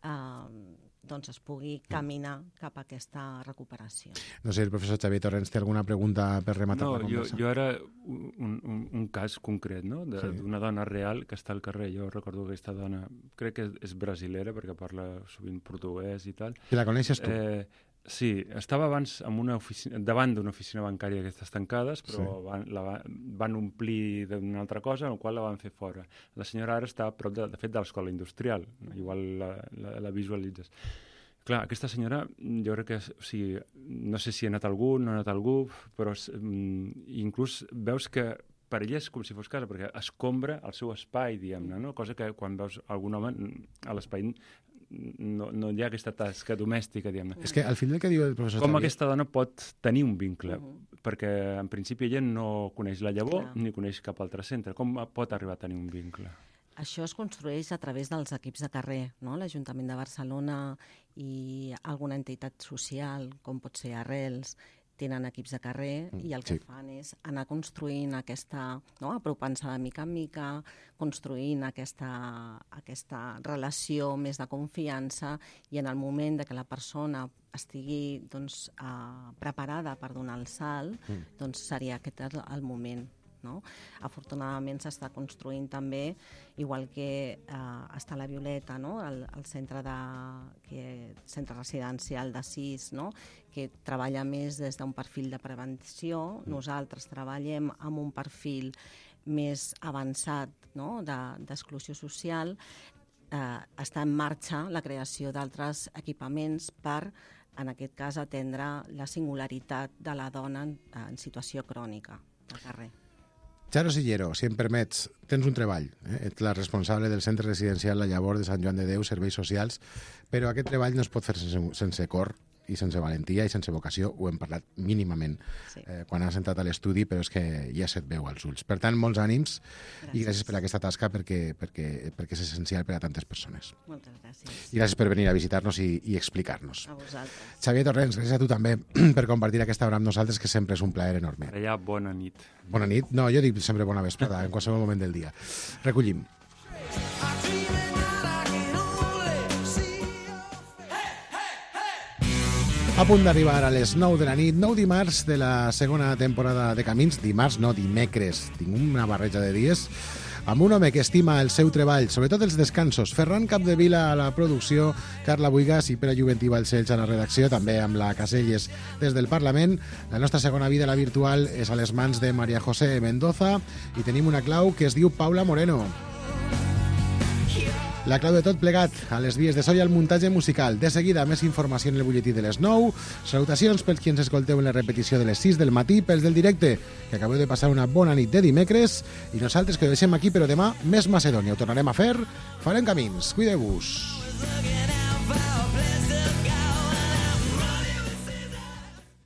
[SPEAKER 9] eh, doncs es pugui caminar cap a aquesta recuperació.
[SPEAKER 2] No sé, el professor Xavier Torrents té alguna pregunta per rematar
[SPEAKER 3] no,
[SPEAKER 2] la conversa?
[SPEAKER 3] Jo, jo ara, un, un, un cas concret, no?, d'una sí. dona real que està al carrer. Jo recordo que aquesta dona, crec que és brasilera, perquè parla sovint portuguès i tal.
[SPEAKER 2] I la coneixes tu?
[SPEAKER 3] Eh, sí, estava abans en una oficina, davant d'una oficina bancària d'aquestes tancades, però sí. van, la, van omplir d'una altra cosa, en la qual la van fer fora. La senyora ara està a prop, de, de fet, de l'escola industrial. Igual la, la, la visualitzes. Clar, aquesta senyora, jo crec que, o sigui, no sé si ha anat algú, no ha anat algú, però mm, inclús veus que per ella és com si fos casa, perquè escombra el seu espai, diguem-ne, no? Cosa que quan veus algun home a l'espai no, no hi ha aquesta tasca domèstica, diguem-ne.
[SPEAKER 2] És que al final el que diu el professor
[SPEAKER 3] Com
[SPEAKER 2] Xavier...
[SPEAKER 3] aquesta dona pot tenir un vincle? Uh -huh. Perquè en principi ella no coneix la llavor Clar. ni coneix cap altre centre. Com pot arribar a tenir un vincle?
[SPEAKER 9] Això es construeix a través dels equips de carrer, no? L'Ajuntament de Barcelona i alguna entitat social, com pot ser Arrels, tenen equips de carrer i el que sí. fan és anar construint aquesta, no? apropant-se de mica en mica, construint aquesta, aquesta relació més de confiança, i en el moment de que la persona estigui doncs, uh, preparada per donar el salt, mm. doncs seria aquest el, el moment. No? Afortunadament s'està construint també, igual que eh, està la Violeta, no? el, el centre, de, que, centre residencial de sis, no? que treballa més des d'un perfil de prevenció. Nosaltres treballem amb un perfil més avançat, no? d'exclusió social. Eh, està en marxa la creació d'altres equipaments per, en aquest cas, atendre la singularitat de la dona en, en situació crònica de carrer.
[SPEAKER 2] Charo Sillero, si em permets, tens un treball. Eh? Ets la responsable del centre residencial La Llavor de Sant Joan de Déu, Serveis Socials, però aquest treball no es pot fer sense, sense cor i sense valentia i sense vocació. Ho hem parlat mínimament sí. eh, quan has entrat a l'estudi, però és que ja se't veu als ulls. Per tant, molts ànims gràcies. I gràcies per aquesta tasca perquè, perquè, perquè és essencial per a tantes persones.
[SPEAKER 9] Moltes gràcies.
[SPEAKER 2] I gràcies per venir a visitar-nos i, i explicar-nos.
[SPEAKER 9] A vosaltres.
[SPEAKER 2] Xavier Torrents, gràcies a tu també per compartir aquesta hora amb nosaltres, que sempre és un plaer enorme.
[SPEAKER 3] Per allà, bona nit.
[SPEAKER 2] Bona nit? No, jo dic sempre bona vesprada, en qualsevol moment del dia. Recollim. A punt d'arribar a les nou de la nit, nou dimarts de la segona temporada de Camins. Dimarts, no, dimecres. Tinc una barreja de dies. Amb un home que estima el seu treball, sobretot els descansos. Ferran Capdevila a la producció, Carla Buigas i Pere Juventí Balcells a la redacció, també amb la Caselles des del Parlament. La nostra segona vida, la virtual, és a les mans de María José Mendoza i tenim una clau que es diu Paula Moreno. La clau de tot plegat, a les vies de so i al muntatge musical. De seguida, més informació en el butlletí de les nou. Salutacions pels qui ens escolteu en la repetició de les sis del matí, pels del directe, que acabeu de passar una bona nit de dimecres, i nosaltres que ho deixem aquí, però demà més Macedònia. Ho tornarem a fer, farem camins. Cuideu-vos.